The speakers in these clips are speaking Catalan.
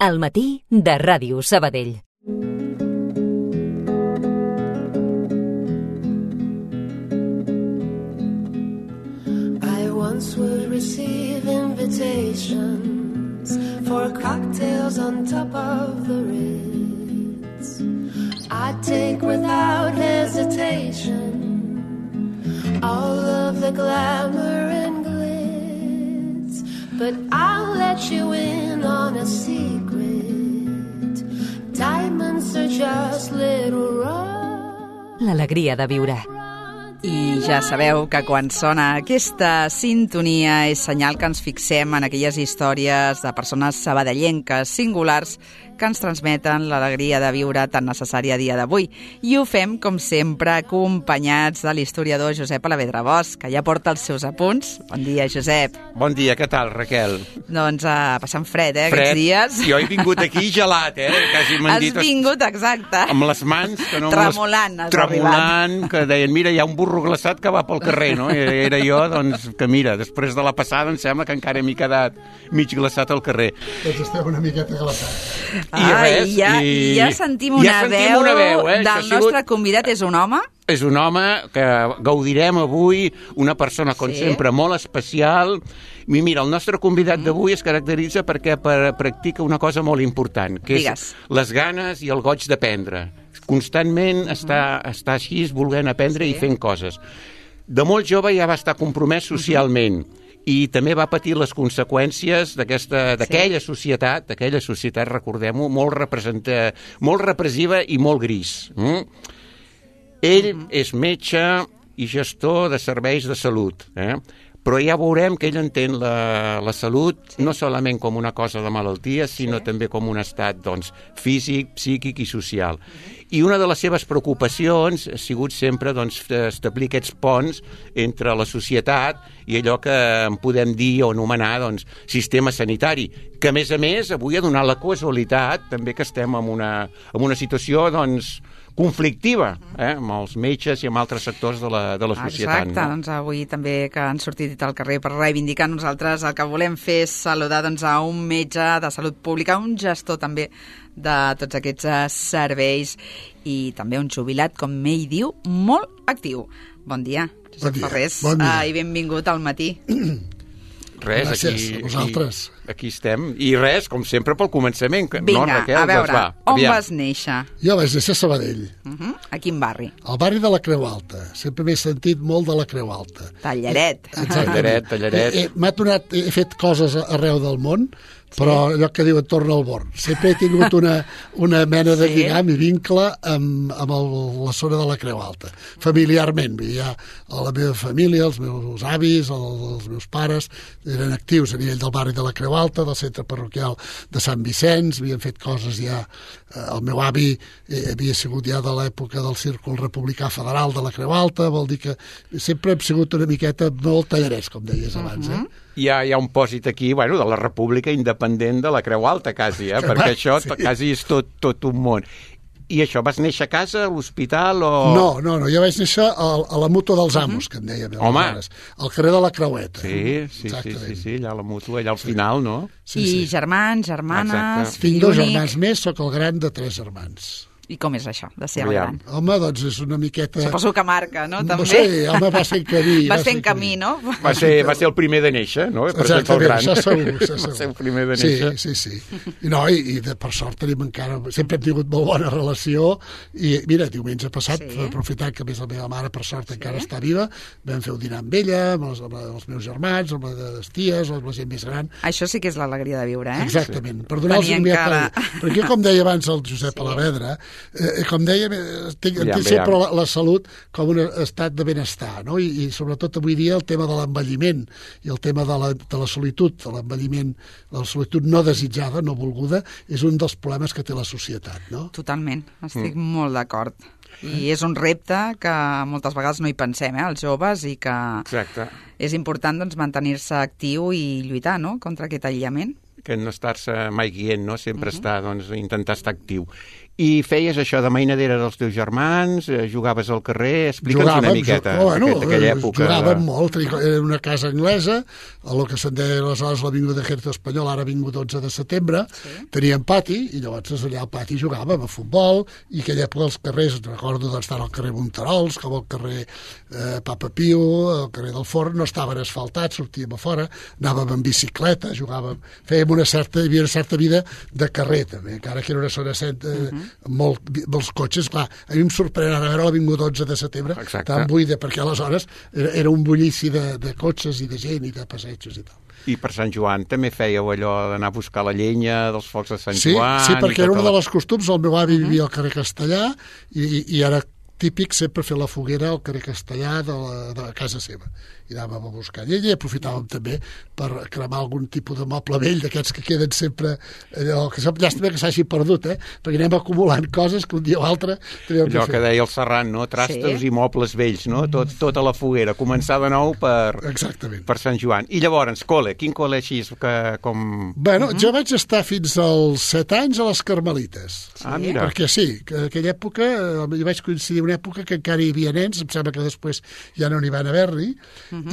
Al matí de Ràdio Sabadell. I once would receive invitations for cocktails on top of the Ritz. I'd take without hesitation all of the glamour and glitz, but I'll let you in on a secret. Diamonds are just little rocks. L'alegria de viure. I ja sabeu que quan sona aquesta sintonia és senyal que ens fixem en aquelles històries de persones sabadellenques singulars que ens transmeten l'alegria de viure tan necessària a dia d'avui. I ho fem, com sempre, acompanyats de l'historiador Josep Alavedra Bosch, que ja porta els seus apunts. Bon dia, Josep. Bon dia, què tal, Raquel? Doncs passant fred, aquests dies. Jo he vingut aquí gelat, Quasi m'han dit... Has vingut, exacte. Amb les mans... Que no tremolant, has tremolant, que deien, mira, hi ha un burro glaçat que va pel carrer, no? Era jo, doncs, que mira, després de la passada em sembla que encara m'he quedat mig glaçat al carrer. Doncs estem una miqueta glaçats. Ja sentim una veu del nostre convidat. És un home? És un home que gaudirem avui, una persona, com sempre, molt especial. I mira, el nostre convidat d'avui es caracteritza perquè practica una cosa molt important, que és les ganes i el goig d'aprendre. Constantment està així, volent aprendre i fent coses. De molt jove ja va estar compromès socialment, i també va patir les conseqüències d'aquella societat, recordem-ho, molt repressiva i molt gris. Ell és metge i gestor de serveis de salut, però ja veurem que ell entén la salut no solament com una cosa de malaltia, sinó també com un estat físic, psíquic i social. I una de les seves preocupacions ha sigut sempre establir aquests ponts entre la societat i allò que en podem dir o anomenar sistema sanitari, que a més avui ha donat la casualitat també que estem en una situació conflictiva, amb els metges i amb altres sectors de la societat. Exacte, doncs avui també que han sortit al carrer per reivindicar, nosaltres el que volem fer és saludar a un metge de salut pública, un gestor també de tots aquests serveis i també un jubilat, com ell diu, molt actiu. Bon dia, Josep Ferrés, i benvingut al matí. Res, gràcies, a vosaltres. Aquí estem. I res, com sempre, pel començament. Vinga, Raquel, a veure, on vas néixer? Jo vaig néixer a Sabadell. A quin barri? Al barri de la Creu Alta. Sempre m'he sentit molt de la Creu Alta. Tallaret. Tallaret. He fet coses arreu del món, però allò que diuen torna al born. Sempre he tingut una mena de lligam i vincle amb la zona de la Creu Alta. Familiarment, hi ha la meva família, els meus avis, els meus pares, eren actius a nivell del barri de la Creu Alta, del centre parroquial de Sant Vicenç, havien fet coses ja... El meu avi havia sigut ja de l'època del Círcul Republicà Federal de la Creu Alta, vol dir que sempre hem sigut una miqueta molt tallarets, com deies abans, Hi ha un pòsit aquí, de la República Independent de la Creu Alta, quasi, perquè això quasi és tot un món. I això, vas néixer a casa, a l'hospital o...? No, jo vaig néixer a la Mútua dels Amos, que en dèiem. Home! Al carrer de la Creueta. Sí, allà a la Mútua, allà al final, no? I germans, germanes... Tinc 2 germans més, sóc el gran de 3 germans. I com és això, de ser el gran? Home, doncs és una miqueta... Suposo que marca, no? També? Sí, home, va ser en camí. Va ser en camí, no? Va ser el primer de néixer, no? Exactament, això segur. Va ser el primer de néixer. Sí. I per sort tenim encara... Sempre hem tingut molt bona relació i, mira, diumenge passat, aprofitant que més la meva mare, per sort, encara està viva, vam fer un dinar amb ella, amb els meus germans, amb les ties, amb la gent més gran. Això sí que és l'alegria de viure, Exactament. Per donar-los un perquè com deia abans el Josep Alavedra, com dèiem, tinc sempre la salut com un estat de benestar, no? I sobretot avui dia el tema de l'envelliment i el tema de la solitud, de l'envelliment, la solitud no desitjada, no volguda, és un dels problemes que té la societat, no? Totalment, estic molt d'acord. I és un repte que moltes vegades no hi pensem, els joves, i que és important mantenir-se actiu i lluitar, no?, contra aquest aïllament. que no estar-se mai guient, no? Sempre estar, doncs, intentar estar actiu. I feies això de mainadera dels teus germans, jugaves al carrer, explica'ns una miqueta d'aquella època. Jugàvem molt, era una casa anglesa, el que se'n deia aleshores l'Avinguda d'Ejército Espanyol, ara Avinguda 11 de setembre, teníem pati, i llavors allà al pati jugàvem a futbol, i aquella època els carrers, recordo d'estar al carrer Monterols, com al carrer Papa Pio, al carrer del Forn, no estaven asfaltats, sortíem a fora, anàvem en bicicleta, jugàvem, fèiem hi havia una certa vida de carrer, també, encara que era una zona molts cotxes, clar, a mi em sorprèn ara veure l'Avinguda 11 de setembre tan buida, perquè aleshores era un bullici de cotxes i de gent i de passejos i tal. I per Sant Joan també fèieu allò d'anar a buscar la llenya dels focs de Sant Joan? Sí, perquè era una de les costums, el meu avi vivia al carrer Castellà i era típic sempre fer la foguera al carrer Castellà de casa seva. I anàvem a buscar llenya i aprofitàvem també per cremar algun tipus de moble vell d'aquests que queden sempre allò, que llàstima que s'hagi perdut, perquè anem acumulant coses que un dia o altre allò que deia el Serran, no? Trastos i mobles vells, no? Tot a la foguera, començar de nou per Sant Joan. I llavors, quin col·le així com... Bueno, jo vaig estar fins als 7 anys a les Carmelites. Mira. Perquè que aquella època, jo vaig coincidir una època que encara hi havia nens, em sembla que després ja no n'hi van haver-hi,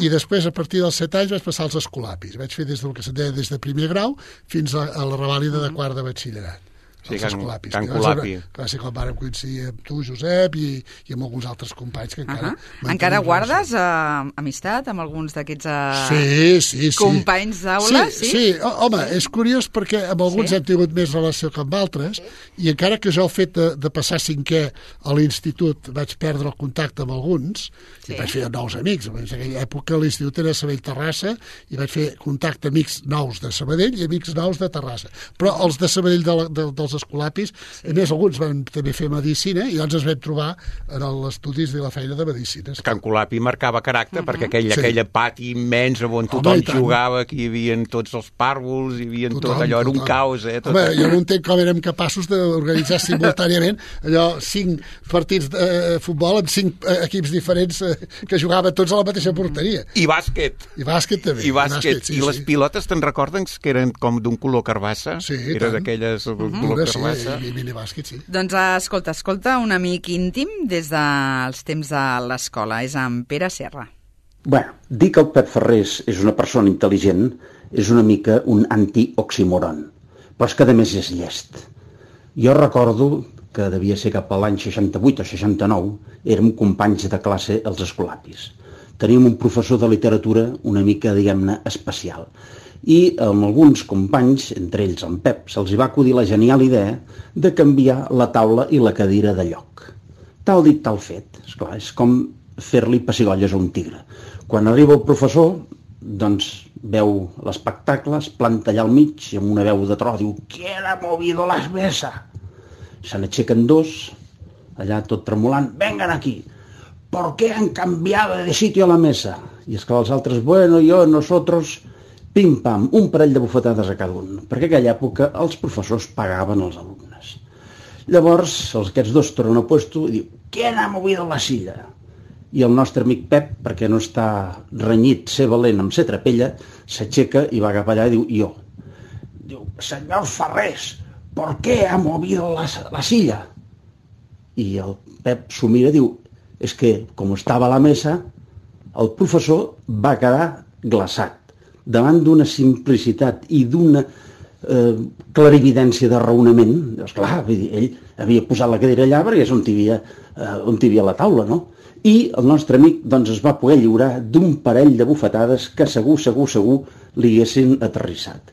i després, a partir dels 7 anys, vaig passar als escolapis. Vaig fer des de primer grau fins a la revàlida de quart de batxillerat. Sí, Can Colapi. Va ser quan vàrem coincidir amb tu, Josep, i amb alguns altres companys que encara... Encara guardes amistat amb alguns d'aquests companys d'aula? Sí, home, és curiós perquè amb alguns hem tingut més relació que amb altres, i encara que jo el fet de passar 5è a l'institut vaig perdre el contacte amb alguns, i vaig fer nous amics. En aquella època l'institut era Sabadell-Terrassa, i vaig fer contacte amics nous de Sabadell i amics nous de Terrassa. Però els de Sabadell dels escolapis, a més alguns van també fer medicina i llavors ens vam trobar en els estudis de la feina de medicines. Can Colapi marcava caràcter perquè aquell pati immens on tothom jugava, que hi havia tots els pàrvols, hi havia tot allò, era un caos. Home, jo no entenc com érem capaços d'organitzar simultàniament allò 5 partits de futbol amb 5 equips diferents que jugaven tots a la mateixa porteria. I bàsquet. I bàsquet també. I les pilotes te'n recorden que eren com d'un color carbassa? Sí, era d'aquelles color i minibàsquet, sí. Doncs escolta un amic íntim des dels temps de l'escola, és en Pere Serra. Bueno, dir que el Pep Ferrés és una persona intel·ligent és una mica un antioxímoron, però és que a més és llest. Jo recordo que devia ser cap a l'any 68 o 69, érem companys de classe als escolapis. Teníem un professor de literatura una mica, diguem-ne, especial. I amb alguns companys, entre ells en Pep, se'ls va acudir la genial idea de canviar la taula i la cadira de lloc. Tal dit, tal fet. Esclar, és com fer-li pessigolles a un tigre. Quan arriba el professor, doncs veu l'espectacle, es planta allà al mig i amb una veu de tro diu «¿Quién ha movido las mesas?» Se n'aixequen dos, allà tot tremolant, «Vengan aquí! ¿Por qué han cambiado de sitio a la mesa?» I esclar, els altres, «Bueno, yo, nosotros...» Pim-pam, un parell de bufetades a cada un, perquè a aquella època els professors pagaven els alumnes. Llavors, aquests dos tornen a puesto i diu, ¿quién ha movido la silla? I el nostre amic Pep, perquè no està renyit, ser valent amb ser trapella, s'aixeca i va cap allà i diu, jo. Diu, senyor Ferrés, ¿por qué ha movido la silla? I el Pep s'ho mira i diu, és que, com estava a la mesa, el professor va quedar glaçat davant d'una simplicitat i d'una clarividència de raonament. Esclar, ell havia posat la cadira allà perquè és on hi havia la taula, no? I el nostre amic doncs, es va poder lliurar d'un parell de bufetades que segur li haguessin aterrissat.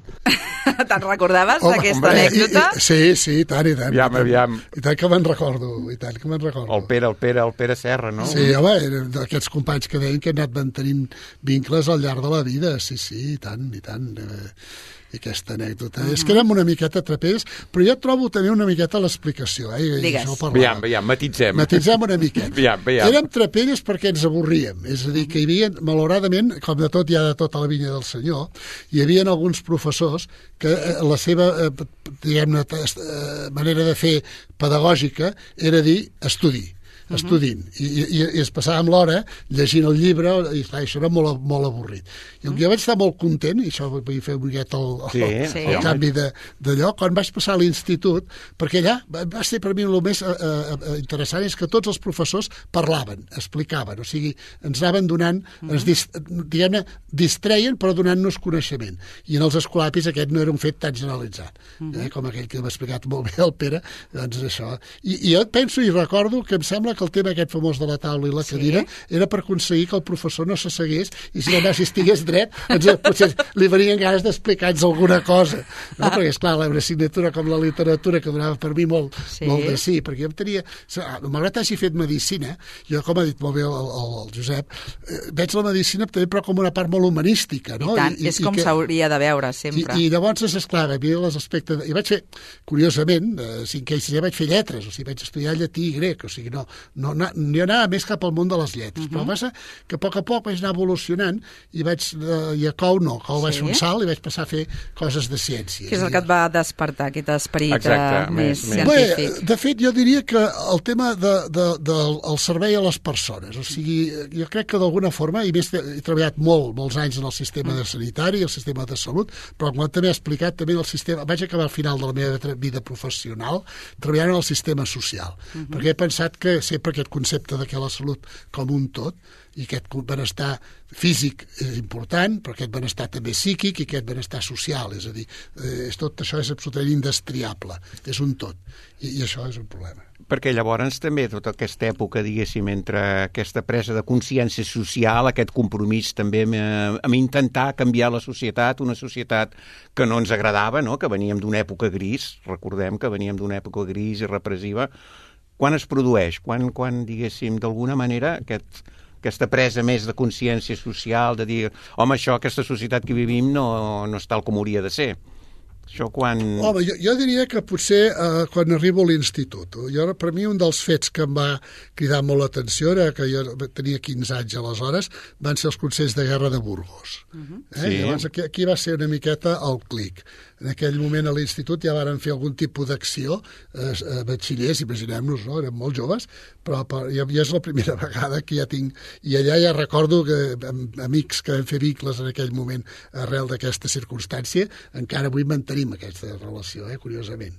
Te'n recordaves d'aquesta anècdota? Sí, i tant. Aviam. I tant que me'n recordo, El Pere Serra, no? Sí, home, eren d'aquests companys que deien que han anat mantenint vincles al llarg de la vida, sí, i tant. I aquesta anècdota. És que érem una miqueta trapers, però jo trobo també una miqueta l'explicació. Digues. Aviam, matitzem. Matitzem una miqueta. Aviam. Érem trapelles perquè ens avorríem. És a dir, que hi havia, malauradament, com de tot hi ha de tota la vinya del senyor, hi havia alguns professors que la seva, diguem-ne, manera de fer pedagògica era dir estudi. estudint. I es passàvem l'hora llegint el llibre, i clar, això era molt avorrit. I jo vaig estar molt content, i això vull fer un miquet el canvi d'allò, quan vaig passar a l'institut, perquè allà va ser per mi el més interessant és que tots els professors parlaven, explicaven, o sigui, ens anaven donant, diguem-ne, distreien però donant-nos coneixement. I en els escolapis aquest no era un fet tan generalitzat, com aquell que m'ha explicat molt bé el Pere, doncs això. I jo penso i recordo que em sembla que el tema aquest famós de la taula i la cadira era per aconseguir que el professor no s'assegués i si només estigués dret, potser li venien ganes d'explicar-nos alguna cosa, no? Perquè, esclar, una assignatura com la literatura que donava per mi molt de sí, perquè jo em tenia... Malgrat hagi fet medicina, jo, com ha dit molt bé el Josep, veig la medicina també però com una part molt humanística, no? I tant, és com s'hauria de veure, sempre. I llavors, esclar, a mi l'aspecte... I vaig fer, curiosament, 5è i 6è vaig fer lletres, o sigui, vaig estudiar llatí i grec, o sigui, no anava més cap al món de les lletres, però passa que a poc vaig anar evolucionant i a Cou vaig fer un salt i vaig passar a fer coses de ciències. Què és el que et va despertar, aquest esperit més científic? Bé, de fet, jo diria que el tema del servei a les persones, o sigui, jo crec que d'alguna forma, i més he treballat molts anys en el sistema de sanitari i el sistema de salut, però com també he explicat, també el sistema, vaig acabar al final de la meva vida professional treballant en el sistema social, perquè he pensat que sempre aquest concepte de que la salut com un tot, i aquest benestar físic és important, però aquest benestar també psíquic i aquest benestar social, és a dir, tot això és absolutament indestriable, és un tot, i això és un problema. Perquè llavors també tota aquesta època, diguéssim, entre aquesta presa de consciència social, aquest compromís també amb intentar canviar la societat, una societat que no ens agradava, no? Que veníem d'una època gris, recordem que veníem d'una època gris i repressiva, quan es produeix? Quan diguéssim, d'alguna manera, aquesta presa més de consciència social, de dir, home, aquesta societat que vivim no és tal com hauria de ser. Això quan... Home, jo diria que potser quan arribo a l'institut. Per mi un dels fets que em va cridar molt l'atenció era que jo tenia 15 anys aleshores, van ser els Consells de Guerra de Burgos. Llavors aquí va ser una miqueta el clic. En aquell moment a l'institut ja varen fer algun tipus d'acció, batxillers, imaginem-nos, no? Érem molt joves, però ja és la primera vegada que ja tinc... I allà ja recordo que amics que vam fer vincles en aquell moment arrel d'aquesta circumstància, encara avui mantenim aquesta relació, curiosament.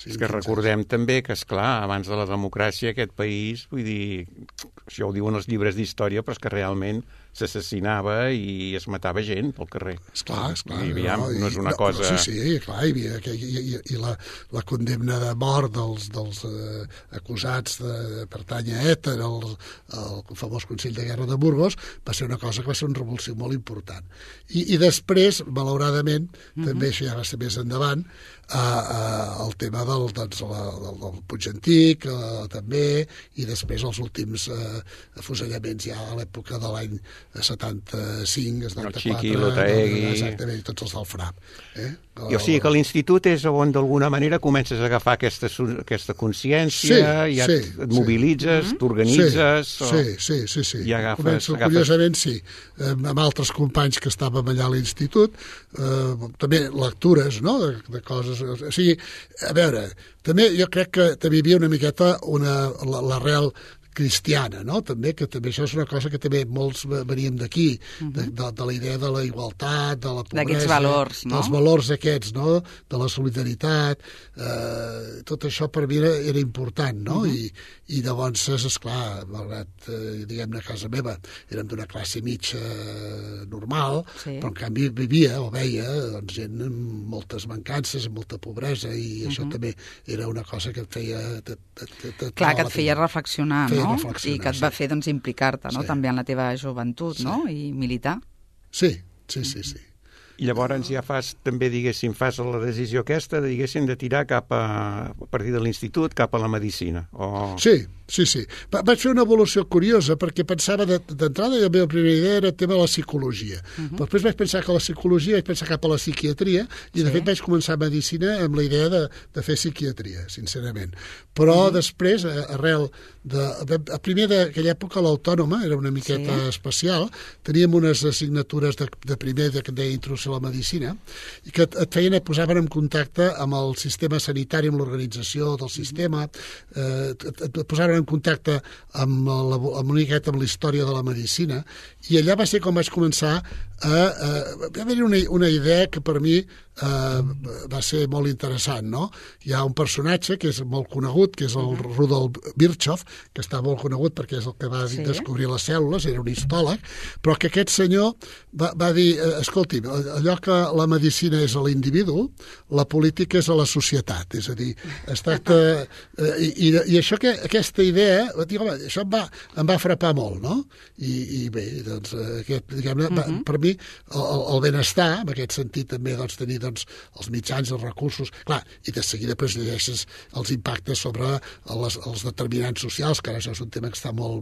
És que recordem també que, esclar, abans de la democràcia aquest país, vull dir, això ho diuen els llibres d'història, però és que realment s'assassinava i es matava gent pel carrer. Esclar. No és una cosa... Sí, clar, i la condemna de mort dels acusats de pertànyer a ETA, el famós Consell de Guerra de Burgos, va ser una cosa que va ser una revolució molt important. I després, malauradament, també això ja va ser més endavant, el tema del Puig Antic, també, i després els últims afusellaments ja a l'època de l'any 75, 74... El Xiqui, l'Otaegui... Exactament, tots els del FRAP. O sigui que l'institut és on d'alguna manera comences a agafar aquesta consciència, ja et mobilitzes, t'organitzes... Sí. Començo, curiosament, sí. Amb altres companys que estàvem allà a l'institut, també lectures, no?, de coses... O sigui, a veure, també jo crec que també hi havia una miqueta l'arrel cristiana, no? També, que també això és una cosa que també molts veníem d'aquí, de la idea de la igualtat, de la pobresa... D'aquests valors, no? Dels valors aquests, no? De la solidaritat, tot això per mi era important, no? I llavors, esclar, malgrat, diguem-ne, a casa meva, érem d'una classe mitja normal, però en canvi veia doncs, gent amb moltes mancances, amb molta pobresa, i això també era una cosa que et feia... Clar, que et feia reflexionar, no? I que et va fer implicar-te també en la teva joventut, no? I militar. Sí. I llavors ja també, diguéssim, fas la decisió aquesta, diguéssim, de tirar a partir de l'institut, cap a la medicina. Sí. Vaig fer una evolució curiosa perquè pensava d'entrada, la meva primera idea era el tema de la psicologia. Però després vaig pensar que la psicologia vaig pensar cap a la psiquiatria i de fet vaig començar medicina amb la idea de fer psiquiatria, sincerament. Però després, arrel primer d'aquella època l'Autònoma era una miqueta especial, teníem unes assignatures de primer que deia Introducció la medicina, i que et posaven en contacte amb el sistema sanitari, amb l'organització del sistema, et posaven en contacte amb una miqueta amb la història de la medicina, i allà va ser com vaig començar va haver-hi una idea que per mi va ser molt interessant, no? Hi ha un personatge que és molt conegut, que és el Rudolf Virchow, que està molt conegut perquè és el que va descobrir les cèl·lules, era un històleg, però que aquest senyor va dir, escolti, allò que la medicina és a l'individu, la política és a la societat, és a dir, es tracta... I això, aquesta idea, dic, home, això em va frapar molt, no? I bé, doncs, per mi, el benestar, en aquest sentit també, doncs, tenir els mitjans, els recursos, clar, i de seguida llegeixes els impactes sobre els determinants socials, que ara això és un tema que està molt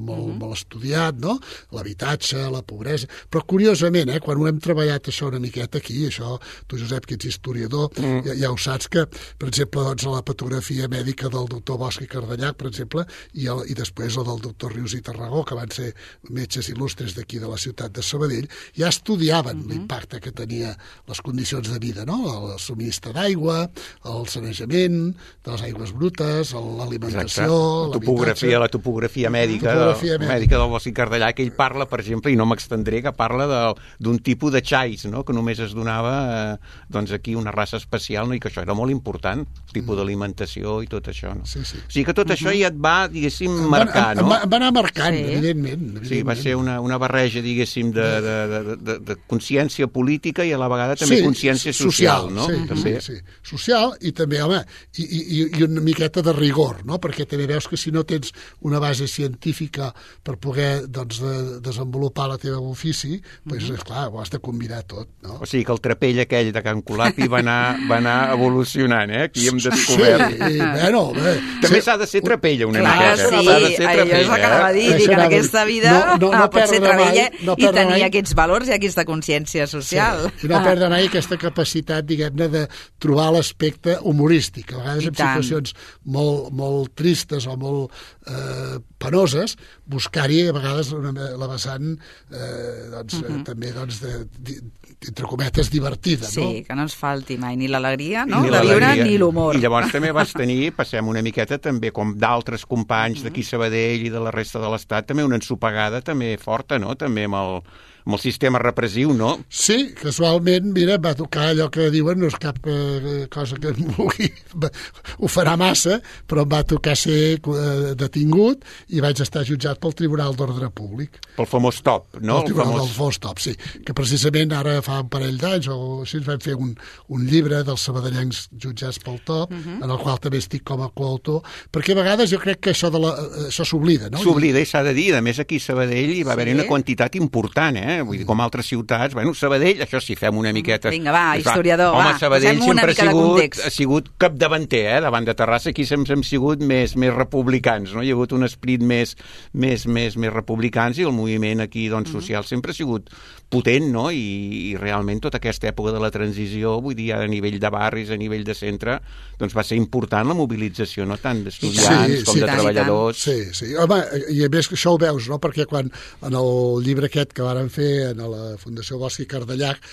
estudiat, no? L'habitatge, la pobresa, però curiosament, quan ho hem treballat això una miqueta aquí, això, tu Josep, que ets historiador, ja ho saps que, per exemple, doncs, la patografia mèdica del doctor Bosch i Cardellac, per exemple, i després el del doctor Rius i Tarragó, que van ser metges il·lustres d'aquí de la ciutat de Sabadell, ja estudiaven l'impacte que tenia les condicions de vida, no? El subministre d'aigua, el sanejament de les aigües brutes, l'alimentació, l'habitatge... La topografia mèdica del Bosch i Cardellac, que ell parla, per exemple, i no m'extendré, que parla d'un tipus de xais, no? Que només es donava doncs aquí una raça especial, no? I que això era molt important, el tipus d'alimentació i tot això. No? Sí. O sigui que tot això ja et va, diguéssim, marcar, no? Va anar marcant, evidentment. Sí, va ser una barreja, diguéssim, de consciència política i a la vegada també consciència social, no? Sí. Social i també, home, i una miqueta de rigor, no? Perquè també veus que si no tens una base científica per poder, doncs, desenvolupar la teva ofici, doncs, esclar, ho has de combinar tot, no? O sigui que el trapell aquell de Can Colapi va anar evolucionant, Aquí hem descobert. Sí, bueno, bé. També s'ha de ser trapella una miqueta. Sí, allò és el que anava a dir, que en aquesta vida pot ser trapella i tenir aquests valors i aquesta consciència social. I no perdre mai aquesta capacitat, diguem-ne, de trobar l'aspecte humorístic. A vegades en situacions molt tristes o molt penoses, buscar-hi a vegades la vessant també, entre cometes, divertida. Sí, que no ens falti mai ni l'alegria de viure ni l'humor. I llavors també vas tenir, passem una miqueta també, com d'altres companys d'aquí Sabadell i de la resta de l'Estat, també una ensopegada també forta, no? També amb el sistema repressiu, no? Sí, casualment, mira, va tocar allò que diuen, no és cap cosa que em vulgui, ho farà massa, però em va tocar ser detingut i vaig estar jutjat pel Tribunal d'Ordre Públic. Pel famós TOP, no? El Tribunal del famós TOP, sí. Que precisament ara fa un parell d'anys o així ens vam fer un llibre dels sabadellencs jutjats pel TOP, en el qual també estic com a coautor, perquè a vegades jo crec que això s'oblida, no? S'oblida i s'ha de dir. A més, aquí a Sabadell hi va haver una quantitat important, Vull dir, com altres ciutats, Sabadell, això sí, fem una miqueta... Vinga, va, historiador, home, Sabadell sempre ha sigut capdavanter, davant de Terrassa, aquí sempre hem sigut més republicans, no? Hi ha hagut un esperit més republicans i el moviment aquí, doncs, social sempre ha sigut potent, no? I realment tota aquesta època de la transició, vull dir, a nivell de barris, a nivell de centre, doncs va ser important la mobilització, no? Tant d'estudiants com de treballadors. Sí. Home, i a més això ho veus, no? Perquè quan en el llibre aquest que varen fer a la Fundació Bosch i Cardellac,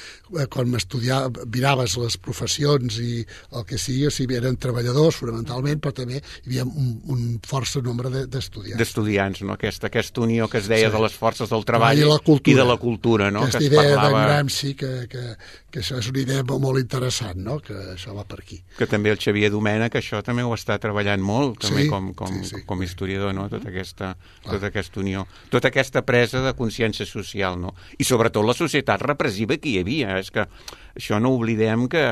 quan miraves les professions i el que sigui, o sigui, eren treballadors fonamentalment, però també hi havia un força nombre d'estudiants. D'estudiants, no? Aquesta unió que es deia de les forces del treball i de la cultura, no? Aquesta idea d'en Gramsci, que això és una idea molt interessant, no? Que això va per aquí. Que també el Xavier Domènech, això també ho està treballant molt, també com historiador, no? Tota aquesta unió, tota aquesta presa de consciència social, no? I sobretot la societat repressiva que hi havia. És que això no oblidem que...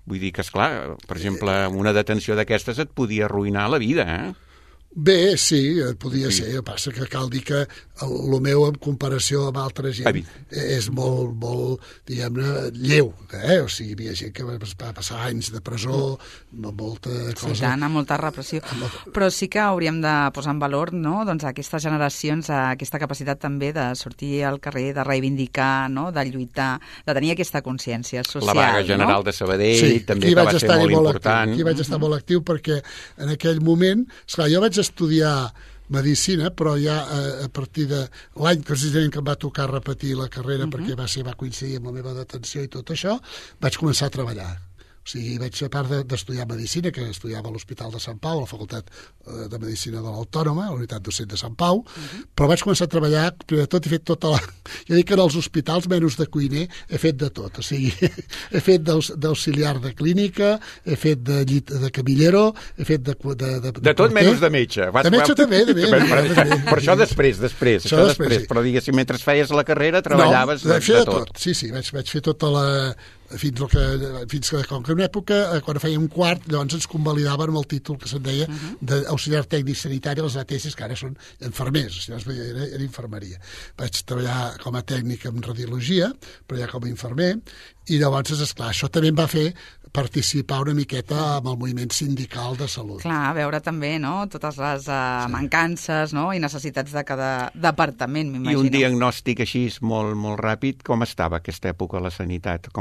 Vull dir que, esclar, per exemple, una detenció d'aquestes et podia arruïnar la vida, Bé, sí, podia ser. El que passa que cal dir que el meu, en comparació amb altra gent, és molt, diguem-ne, lleu. O sigui, hi havia gent que va passar anys de presó, molta cosa... Sí, tant, amb molta repressió. Però sí que hauríem de posar en valor, no?, doncs aquestes generacions, aquesta capacitat també de sortir al carrer, de reivindicar, no?, de lluitar, de tenir aquesta consciència social. La vaga general de Sabadell també que va ser molt important. Aquí vaig estar molt actiu perquè en aquell moment, esclar, jo vaig estudiar Medicina, però ja a partir de l'any precisament que em va tocar repetir la carrera perquè va coincidir amb la meva detenció i tot això, vaig començar a treballar. O sigui, vaig, a part d'estudiar Medicina, que estudiava a l'Hospital de Sant Pau, a la Facultat de Medicina de l'Autònoma, a la Unitat Docent de Sant Pau, però vaig començar a treballar, primer de tot he fet tota la... Jo dic que en els hospitals, menys de cuiner, he fet de tot. O sigui, he fet d'auxiliar de clínica, he fet de camillero, he fet de tot menys de metge. De metge també, Per això després. Però diguéssim, mentre feies la carrera, treballaves de tot. Sí, vaig fer tota la... fins que com que en una època, quan fèiem quart, llavors ens convalidaven amb el títol que se'n deia d'auxiliar tècnic sanitari a les ATS, que ara són infermers, era infermeria. Vaig treballar com a tècnic en radiologia, però ja com a infermer, i llavors, esclar, això també em va fer participar una miqueta amb el moviment sindical de salut. Clar, veure també, no?, totes les mancances, no?, i necessitats de cada departament, m'imagino. I un diagnòstic així molt, molt ràpid, com estava aquesta època la sanitat?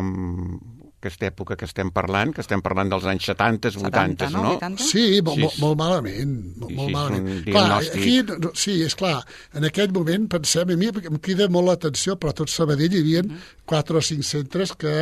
Aquesta època que estem parlant dels anys 70, 80, no? 80? Sí, molt malament. Molt malament. Clar, aquí, sí, és clar, en aquell moment, pensem, a mi em crida molt l'atenció, però a tot Sabadell hi havia 4 o 5 centres que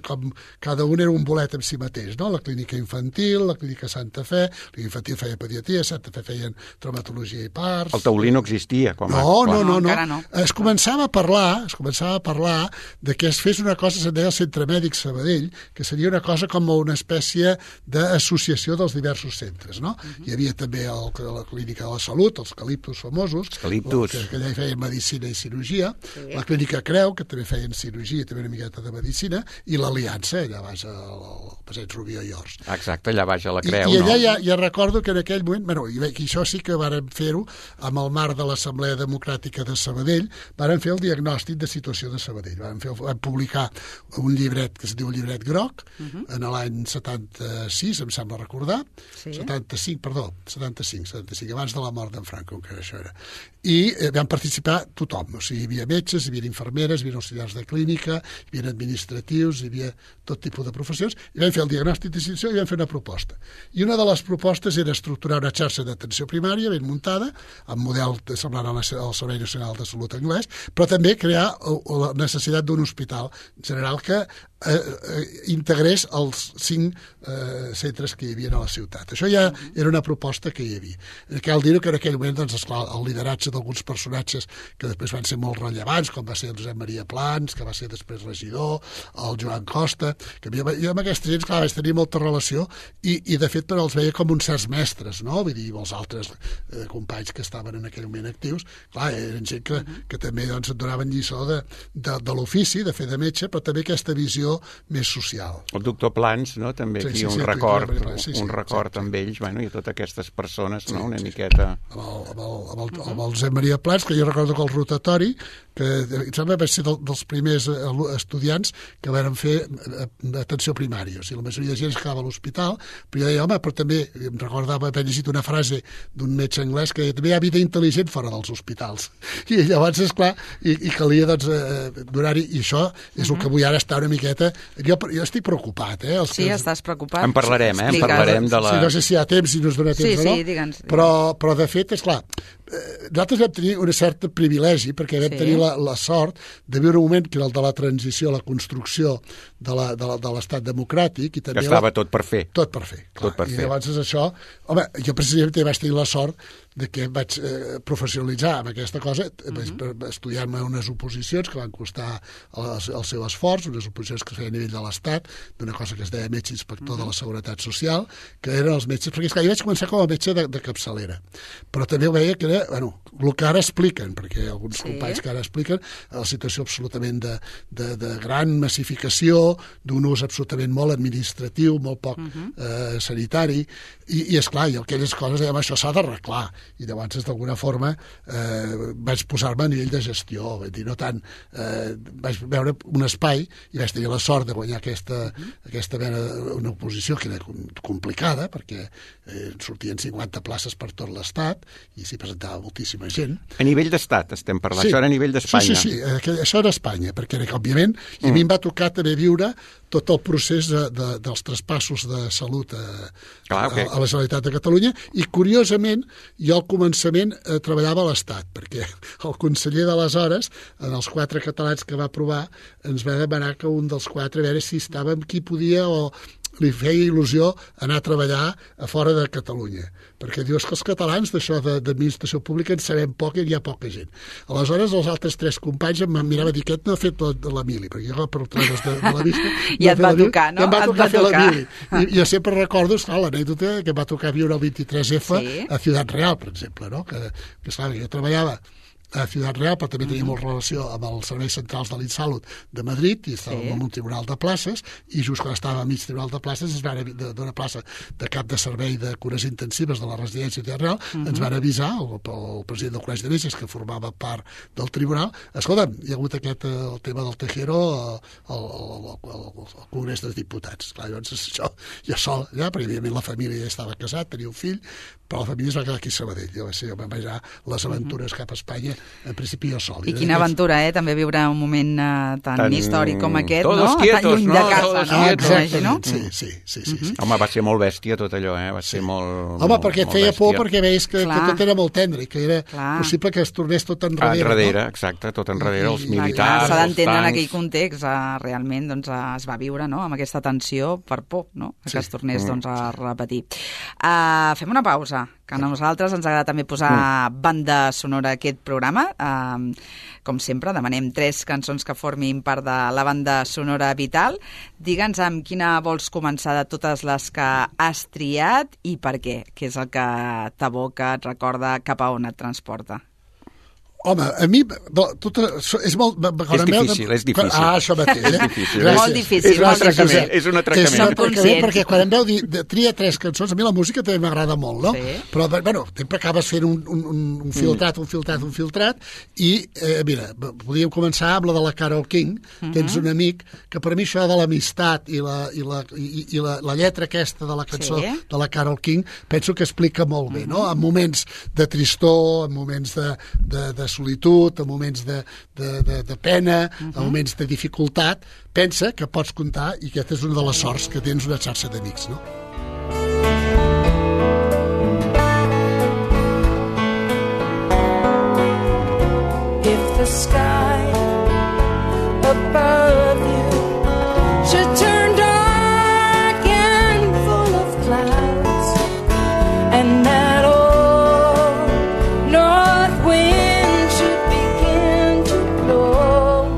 com cada un era un bolet en si mateix, no? La clínica infantil, la clínica Santa Fe, la clínica infantil feia pediatria, Santa Fe feien traumatologia i parts... El taulí no existia. No. Es començava a parlar de que es fes una cosa, se'n deia el Centre Mèdic Sabadell, que seria una cosa com una espècie d'associació dels diversos centres, no? Hi havia també la Clínica de la Salut, els Caliptus famosos, que allà hi feien medicina i cirurgia, la Clínica Creu, que també feien cirurgia i també una miqueta de medicina, i l'Aliança, allà baix al Passeig Rubió i Ors. Exacte, allà baix a la Creu, I allà ja recordo que en aquell moment, i això sí que vàrem fer-ho amb el marc de l'Assemblea Democràtica de Sabadell, vàrem fer el diagnòstic de situació de Sabadell. Vam publicar un llibret que es diu Llibret Groc, en l'any 76, em sembla recordar, 75, abans de la mort d'en Franco, que això era. I vam participar tothom, o sigui, hi havia metges, hi havia infermeres, hi havia auxiliars de clínica, hi havia administratius, hi havia tot tipus de professions, i vam fer el diagnòstic de situació i vam fer una proposta. I una de les propostes era estructurar una xarxa d'atenció primària ben muntada, amb model semblant al Servei Nacional de Salut anglès, però també crear la necessitat d'un hospital general que integrés els 5 centres que hi havia a la ciutat. Això ja era una proposta que hi havia. Cal dir que en aquell moment, doncs, esclar, el lideratge d'alguns personatges que després van ser molt rellevants, com va ser el Josep Maria Plans, que va ser després regidor, el Joan Costa, que jo amb aquesta gent, clar, vaig tenir molta relació i de fet, però els veia com uns certs mestres, no? Vull dir, els altres companys que estaven en aquell moment actius, clar, eren gent que també doncs, et donaven lliçó de l'ofici, de fer de metge, però també aquesta visió més social. El doctor Plans, no?, també aquí un record amb ells, bueno, i totes aquestes persones, no?, una miqueta... Amb el Josep Maria Plans, que jo recordo que el rotatori, que em sembla que va ser dels primers estudiants que van fer atenció primària, o sigui, la majoria de gent es quedava a l'hospital, però jo deia, home, però també em recordava haver llegit una frase d'un metge anglès que també hi ha vida intel·ligent fora dels hospitals, i llavors, esclar, i calia, doncs, donar-hi, i això és el que vull ara estar una miqueta... Jo estic preocupat, Sí, estàs preocupat. En parlarem, en parlarem de la... Sí, no sé si hi ha temps, si no es dona temps o no, digue'ns. Però de fet, esclar, nosaltres vam tenir un cert privilegi perquè vam tenir la sort de viure un moment que era el de la transició, la construcció de l'estat democràtic i també... Que estava tot per fer. Tot per fer, clar. I llavors això... Home, jo precisament vaig tenir la sort de que em vaig professionalitzar amb aquesta cosa, estudiant-me unes oposicions que van costar el seu esforç, unes oposicions que es feien a nivell de l'Estat, d'una cosa que es deia metge inspector de la Seguretat Social, que eren els metges, perquè esclar, jo vaig començar com a metge de capçalera, però també ho veia que era, bueno, el que ara expliquen, perquè alguns companys que ara expliquen, la situació absolutament de gran massificació, d'un ús absolutament molt administratiu, molt poc sanitari, i esclar, i aquelles coses, dèiem, això s'ha d'arreglar, i llavors d'alguna forma vaig posar-me a nivell de gestió, dir, no tant, vaig veure un espai i vaig tenir la sort de guanyar aquesta mena, una oposició que era complicada perquè sortien 50 places per tot l'Estat i s'hi presentava estava moltíssima gent. A nivell d'estat estem parlant, això era a nivell d'Espanya. Sí, això era Espanya, perquè òbviament, i a mi em va tocar també viure tot el procés dels traspassos de salut a la Generalitat de Catalunya, i curiosament jo al començament treballava a l'Estat, perquè el conseller d'aleshores, en els 4 catalans que va aprovar, ens va demanar que un dels 4 a veure si estàvem qui podia o li feia il·lusió anar a treballar a fora de Catalunya, perquè dius que els catalans d'això d'administració pública en sabem poc i hi ha poca gent. Aleshores, els altres 3 companys em miraven a dir, aquest no ha fet la mili, perquè jo per treures de la vista... I et va tocar, no? I em va tocar fer la mili. I jo sempre recordo, l'anècdota que em va tocar viure el 23F a Ciutat Real, per exemple, no? Que esclar, jo treballava a Ciutat Real, però també teníem molt relació amb els serveis centrals de l'Insalut de Madrid, i estàvem en un tribunal de places, i just quan estàvem a mig tribunal de places d'una plaça de cap de servei de cures intensives de la residència de Ciutat Real, ens van avisar, el president del Col·legi de Metges, que formava part del tribunal, escolta'm, hi ha hagut el tema del Tejero al Congrés dels Diputats. Clar, llavors això ja sol, perquè evidentment la família ja estava casat, tenia un fill, però la família es va quedar aquí a Sabadell. Jo vam veure les aventures cap a Espanya, en principi jo sol. I quina aventura, també viure un moment tan històric com aquest, no? Quietos, tan lluny de casa, no? Exactament, sí. Home, va ser molt bèstia tot allò, va ser molt... Home, perquè et feia por, perquè veies que tot era molt tendre, i que era possible que es tornés tot enrere. Enrere, exacte, tot enrere, els militars, s'ha d'entendre en aquell context, realment es va viure amb aquesta tensió per por, que es tornés a repetir. Fem una pausa, que a nosaltres ens agrada també posar banda sonora a aquest programa. Com sempre, demanem 3 cançons que formin part de la banda sonora vital. Digue'ns amb quina vols començar de totes les que has triat i per què, que és el que t'aboca, et recorda, cap a on et transporta. Home, a mi és molt... És difícil. Això mateix. És difícil. Molt difícil. És un atracament. Perquè quan em veu dir tria 3 cançons, a mi la música també m'agrada molt, no? Sí. Però, bueno, sempre acabes fent un filtrat, i, mira, podríem començar amb la de la Carole King. Tens un amic que per mi això de l'amistat i la lletra aquesta de la cançó de la Carole King penso que explica molt bé, no? En moments de tristor, en moments de solitud, en moments de pena, en moments de dificultat, pensa que pots comptar, i aquesta és una de les sorts, que tens una xarxa d'amics, no? If the sky above you should turn dark and full of clouds, and that old north wind should begin to blow,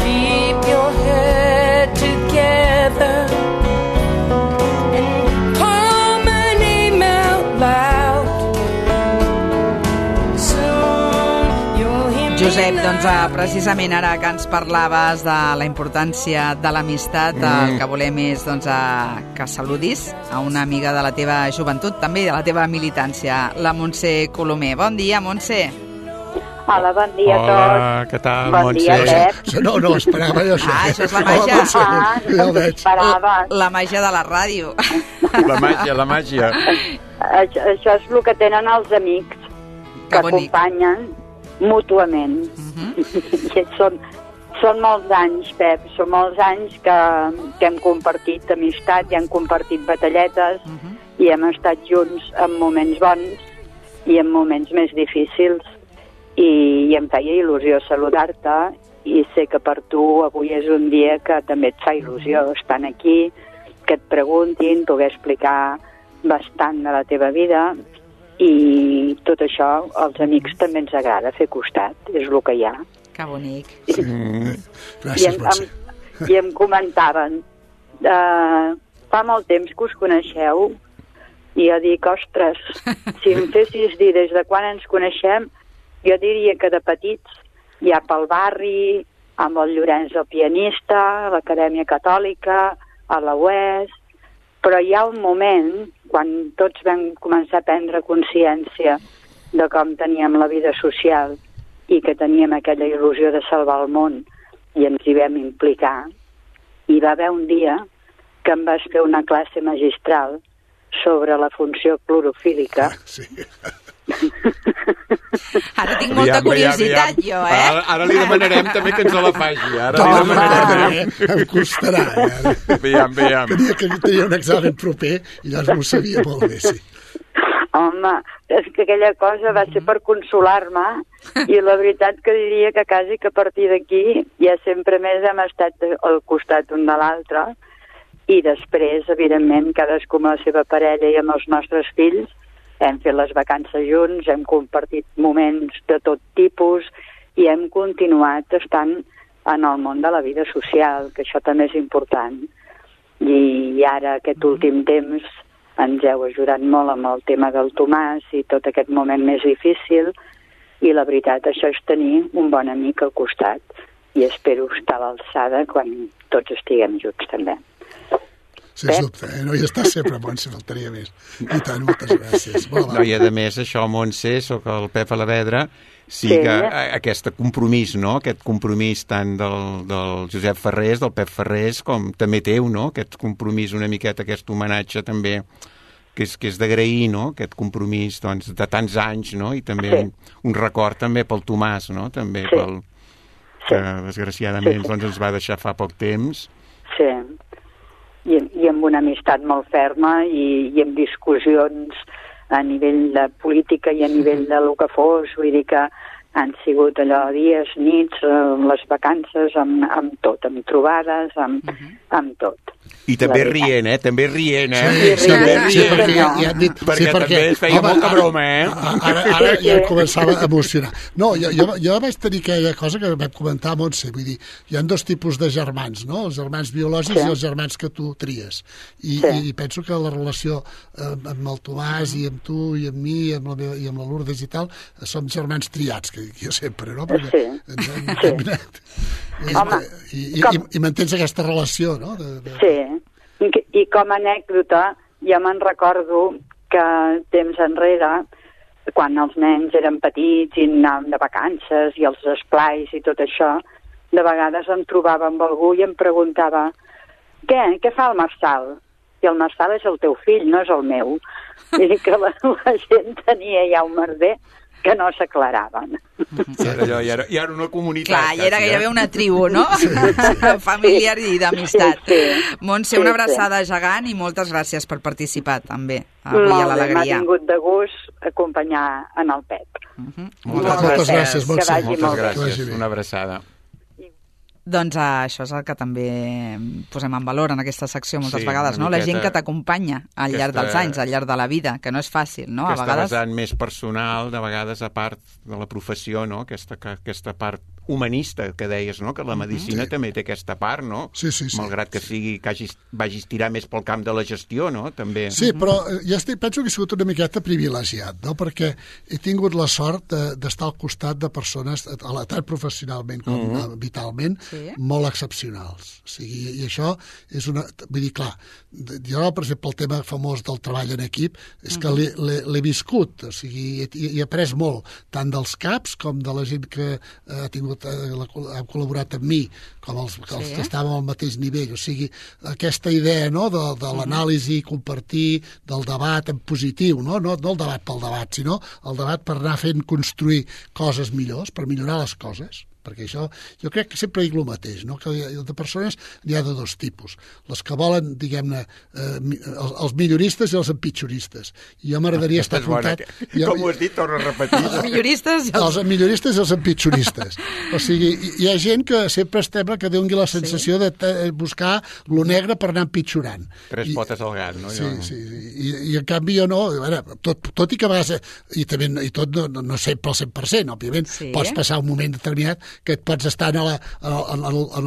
keep your head together and call my name out loud. Soon you'll hear me. Josep, doncs precisament ara que ens parlaves de la importància de l'amistat, el que volem és que saludis a una amiga de la teva joventut, també de la teva militància, la Montse Colomer. Bon dia, Montse. Hola, bon dia a tots. Hola, què tal, Bon Montse? dia, Pep. No esperava jo això. Això és la màgia. Ja ho veig. La màgia de la ràdio. La màgia. Això és el que tenen els amics, que acompanyen mútuament. I són molts anys, Pep, són molts anys que hem compartit amistat i hem compartit batalletes i hem estat junts en moments bons i en moments més difícils, i em feia il·lusió saludar-te, i sé que per tu avui és un dia que també et fa il·lusió estar aquí, que et preguntin, poder explicar bastant de la teva vida, i tot això als amics també ens agrada fer costat, és el que hi ha. Que bonic. Gràcies, Montse. I em comentaven, fa molt temps que us coneixeu, i jo dic, ostres, si em fessis dir des de quan ens coneixem, jo diria que de petits, ja pel barri, amb el Llorenç el pianista, a l'Acadèmia Catòlica, a la UES, però hi ha un moment, quan tots vam començar a prendre consciència de com teníem la vida social i que teníem aquella il·lusió de salvar el món, i ens hi vam implicar, hi va haver un dia que em vas fer una classe magistral sobre la funció clorofílica. Sí. Ara tinc molta curiositat, jo, Ara li demanarem també que ens la faci. Em costarà. Veiem. Tenia un examen proper i llavors m'ho sabia molt bé, sí. Home, és que aquella cosa va ser per consolar-me i la veritat que diria que quasi que a partir d'aquí ja sempre més hem estat al costat un de l'altre i després, evidentment, cadascú amb la seva parella i amb els nostres fills hem fet les vacances junts, hem compartit moments de tot tipus i hem continuat estant en el món de la vida social, que això també és important. I ara, aquest últim temps, ens heu ajudat molt amb el tema del Tomàs i tot aquest moment més difícil i la veritat, això és tenir un bon amic al costat i espero estar a l'alçada quan tots estiguem junts també. Sens dubte, no hi estàs sempre, Montse, faltaria més. I tant, moltes gràcies. No, i a més, això, Montse, soc el Pep Alavedra, sí que aquest compromís, no?, aquest compromís tant del Josep Ferrés, del Pep Ferrés, com també teu, no?, aquest compromís una miqueta, aquest homenatge també, que és d'agrair, no?, aquest compromís, doncs, de tants anys, no?, i també un record també pel Tomàs, no?, també pel que, desgraciadament, doncs ens va deixar fa poc temps. Sí, i amb una amistat molt ferma i amb discussions a nivell de política i a nivell de lo que fos, vull dir que han sigut allò dies, nits, les vacances, amb tot, amb trobades, amb tot. I també rient, També rient, Sí, perquè ja han dit... Perquè també es feia molta broma, Ara ja començava a emocionar. No, jo vaig tenir aquella cosa que vam comentar a Montse, vull dir, hi ha dos tipus de germans, no? Els germans biològics i els germans que tu tries. I penso que la relació amb el Tomàs i amb tu i amb mi i amb la Lourdes i tal, som germans triats, que jo sempre, no? Perquè ens hem combinat. I mantens aquesta relació, no? Sí, i com a anècdota, ja me'n recordo que temps enrere, quan els nens eren petits i anàvem de vacances i els esplais i tot això, de vegades em trobava amb algú i em preguntava què fa el Marçal? I el Marçal és el teu fill, no és el meu. Vull dir que la gent tenia ja un merder que no s'aclaraven. I era una comunitat. Clar, i era gairebé una tribu, no? Familiar i d'amistat. Montse, una abraçada gegant i moltes gràcies per participar també avui a l'Alegria. M'ha tingut de gust acompanyar en el Pep. Moltes gràcies, Montse. Moltes gràcies, una abraçada. Doncs això és el que també posem en valor en aquesta secció moltes vegades, no? La gent que t'acompanya al llarg dels anys, al llarg de la vida, que no és fàcil, no? Aquesta vessant més personal, de vegades a part de la professió, no? Aquesta part humanista que deies, no? Que la medicina també té aquesta part, no? Sí. Malgrat que sigui que vagis tirar més pel camp de la gestió, no? També. Sí, però penso que he sigut una miqueta privilegiat, no? Perquè he tingut la sort d'estar al costat de persones, tant professionalment com vitalment, molt excepcionals. O sigui, i això és una... Vull dir, clar, jo, per exemple, el tema famós del treball en equip és que l'he viscut, o sigui, he après molt, tant dels caps com de la gent que ha col·laborat amb mi, com els que estàvem al mateix nivell. O sigui, aquesta idea, no?, de l'anàlisi, compartir, del debat en positiu, no el debat pel debat, sinó el debat per anar fent construir coses millors, per millorar les coses. Perquè això, jo crec que sempre dic el mateix, no? Que de persones n'hi ha de dos tipus. Les que volen, diguem-ne, els milloristes i els empitjoristes. I jo m'agradaria estar afrontat... Com ho has dit, torna a repetir. Els milloristes i els empitjoristes. O sigui, hi ha gent que sempre sembla que doni la sensació de buscar lo negre per anar empitjorant. Tres potes al gat, no? Sí. I en canvi jo no... Tot i que a vegades... I tot no sempre al 100%, òbviament. Pots passar un moment determinat que et pots estar en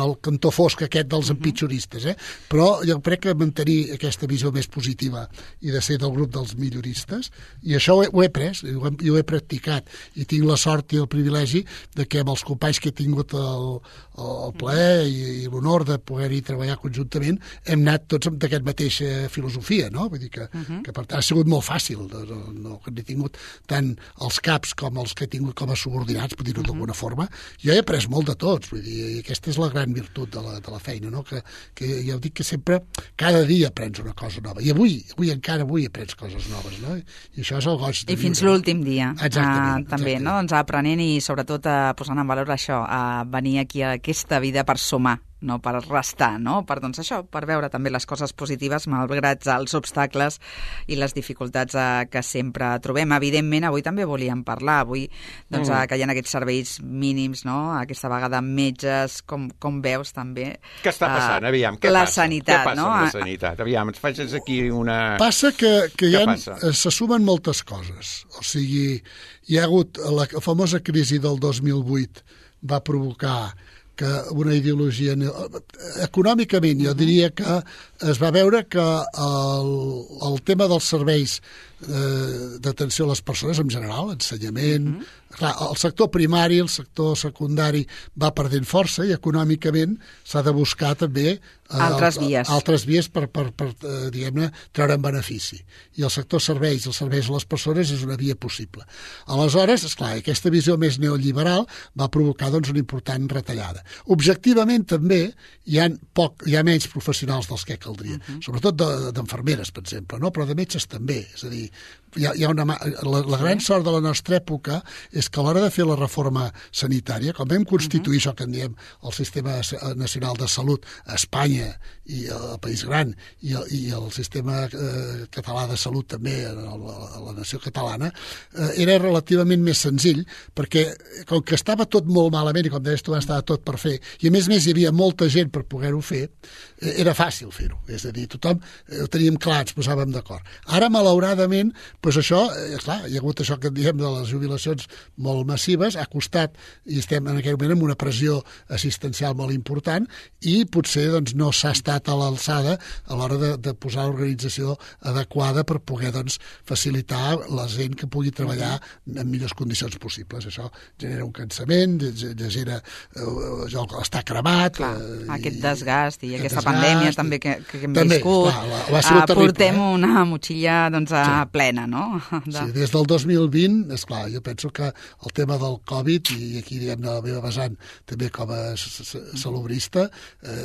el cantó fosc aquest dels empitjoristes, però jo crec que mantenir aquesta visió més positiva i de ser del grup dels milloristes, i això ho he pres, i ho he practicat, i tinc la sort i el privilegi de que amb els companys que he tingut el plaer i l'honor de poder-hi treballar conjuntament, hem anat tots amb aquesta mateixa filosofia, no? Vull dir que per tant ha sigut molt fàcil, no he tingut tant els caps com els que he tingut com a subordinats, per dir-ho d'alguna forma. Jo he après molt de tots, vull dir, i aquesta és la gran virtut de la feina, no? Que ja ho dic que sempre, cada dia aprens una cosa nova, i avui aprens coses noves, no? I això és el goig de viure. I fins l'últim dia. Exactament. També, no? Doncs aprenent i sobretot posant en valor això, venir aquí a aquesta vida per sumar, no per restar, no? Per, doncs això, per veure també les coses positives malgrat els obstacles i les dificultats que sempre trobem. Evidentment, avui també volíem parlar, avui doncs, que hi ha aquests serveis mínims, no? Aquesta vegada metges, com veus també... Què està passant? Aviam, què la passa? Sanitat, què passa no? amb la sanitat? Aviam, ens facis aquí una... Passa que se sumen moltes coses. O sigui, hi ha hagut la famosa crisi del 2008 va provocar que una ideologia... Econòmicament, jo diria que es va veure que el tema dels serveis d'atenció a les persones en general, ensenyament... Clar, el sector primari, el sector secundari va perdent força i econòmicament s'ha de buscar també altres vies per diguem-ne, treure'n benefici. I el sector serveis, els serveis a les persones és una via possible. Aleshores, esclar, aquesta visió més neoliberal va provocar doncs, una important retallada. Objectivament també hi ha menys professionals dels que caldria, sobretot d'enfermeres, per exemple, no? Però de metges també. És a dir, la gran sort de la nostra època és que a l'hora de fer la reforma sanitària, com vam constituir això que en diem el Sistema Nacional de Salut a Espanya i al País Gran i el Sistema Català de Salut també a la nació catalana, era relativament més senzill perquè com que estava tot molt malament i com deies tu estava tot per fer i a més hi havia molta gent per poder-ho fer, era fàcil fer-ho. És a dir, tothom ho teníem clar, ens posàvem d'acord. Ara, malauradament, doncs això, clar, hi ha hagut això que en diem de les jubilacions molt massives, ha costat, i estem en aquell moment amb una pressió assistencial molt important i potser doncs, no s'ha estat a l'alçada a l'hora de posar l'organització adequada per poder doncs, facilitar la gent que pugui treballar en millors condicions possibles. Això genera un cansament, genera estar cremat. Clar, aquest desgast i aquesta pandèmia també que hem viscut. Clar, portem una motxilla doncs, plena, no? Sí, des del 2020, esclar, jo penso que el tema del Covid, i aquí diguem-ne la meva vessant també com a salubrista,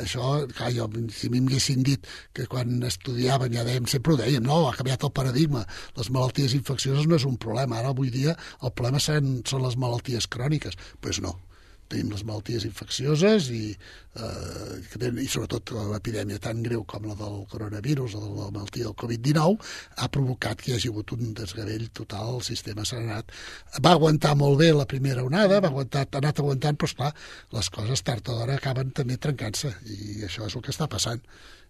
això, clar, si a mi m'haguessin dit que quan estudiàvem, ja dèiem, sempre ho dèiem, no? Ha canviat el paradigma. Les malalties infeccioses no és un problema. Ara, avui dia, el problema són les malalties cròniques. Doncs no. Tenim les malalties infeccioses i sobretot l'epidèmia tan greu com la del coronavirus o de la malaltia del Covid-19 ha provocat que hi hagi hagut un desgavell total. El sistema s'ha anat... Va aguantar molt bé la primera onada, ha anat aguantant, però esclar, les coses tard o d'hora acaben també trencant-se i això és el que està passant.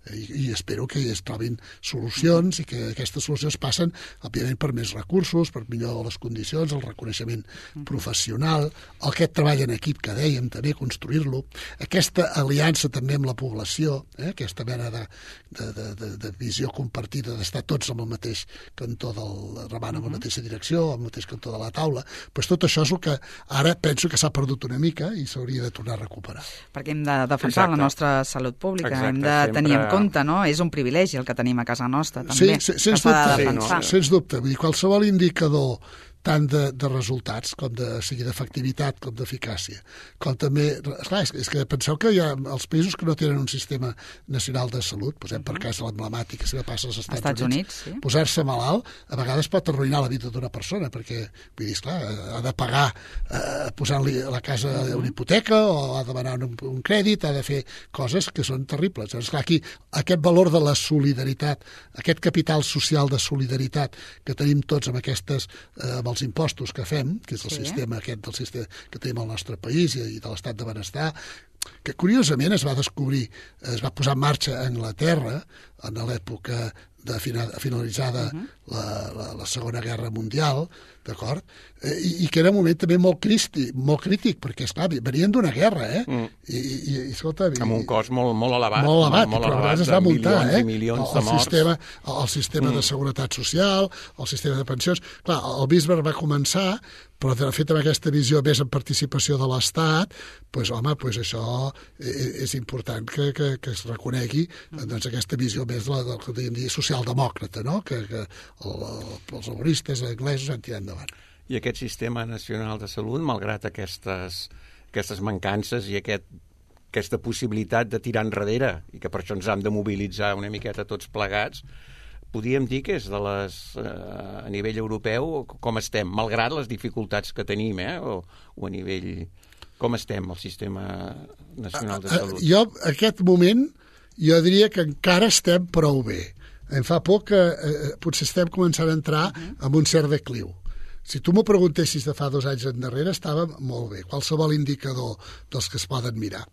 I espero que es trobin solucions i que aquestes solucions passen, òbviament, per més recursos, per millor les condicions, el reconeixement professional, aquest treball en equip que dèiem, també construir-lo, aquesta aliança també amb la població, aquesta mena de visió compartida, d'estar tots en el mateix cantó remant en la mateixa direcció, al mateix cantó de la taula, doncs tot això és el que ara penso que s'ha perdut una mica i s'hauria de tornar a recuperar. Perquè hem de defensar la nostra salut pública, hem de tenir en compte, no? És un privilegi el que tenim a casa nostra, també. Sí, sens dubte. Vull dir, qualsevol indicador tant de resultats, com sigui d'efectivitat, com d'eficàcia. Com també... Esclar, és que penseu que hi ha els països que no tenen un sistema nacional de salut, posem per cas l'emblemàtic, si passa als Estats Units, sí. Posar-se malalt, a vegades pot arruïnar la vida d'una persona, perquè, vull dir, esclar, ha de pagar posant-li a la casa una hipoteca o ha de demanar un crèdit, ha de fer coses que són terribles. Llavors, clar, aquí, aquest valor de la solidaritat, aquest capital social de solidaritat que tenim tots amb aquestes... els impostos que fem, que és el sistema aquest del sistema que tenim al nostre país i de l'estat de benestar, que curiosament es va descobrir, es va posar en marxa a Anglaterra en l'època finalitzada la Segona Guerra Mundial, d'acord? I que era un moment també molt crític, perquè, esclar, venien d'una guerra, I escolta... Amb un cost molt elevat. Molt elevat, però a vegades es va muntar, milions i milions de morts. El sistema de seguretat social, el sistema de pensions... Clar, el Bismarck va començar, però de fet amb aquesta visió més en participació de l'Estat, doncs, home, això és important que es reconegui doncs, aquesta visió més del que podríem dir socialdemòcrata, no? Que els laboristes anglesos han tirat endavant. I aquest sistema nacional de salut, malgrat aquestes aquestes mancances i aquesta possibilitat de tirar enrere, i que per això ens hem de mobilitzar una miqueta tots plegats, podríem dir que és a nivell europeu com estem, malgrat les dificultats que tenim, o a nivell... Com estem, el sistema nacional de salut? Jo, en aquest moment, jo diria que encara estem prou bé. Em fa por que potser estem començant a entrar en un cert decliu. Si tu m'ho preguntessis de fa 2 anys endarrere, estava molt bé, qualsevol indicador dels que es poden mirar.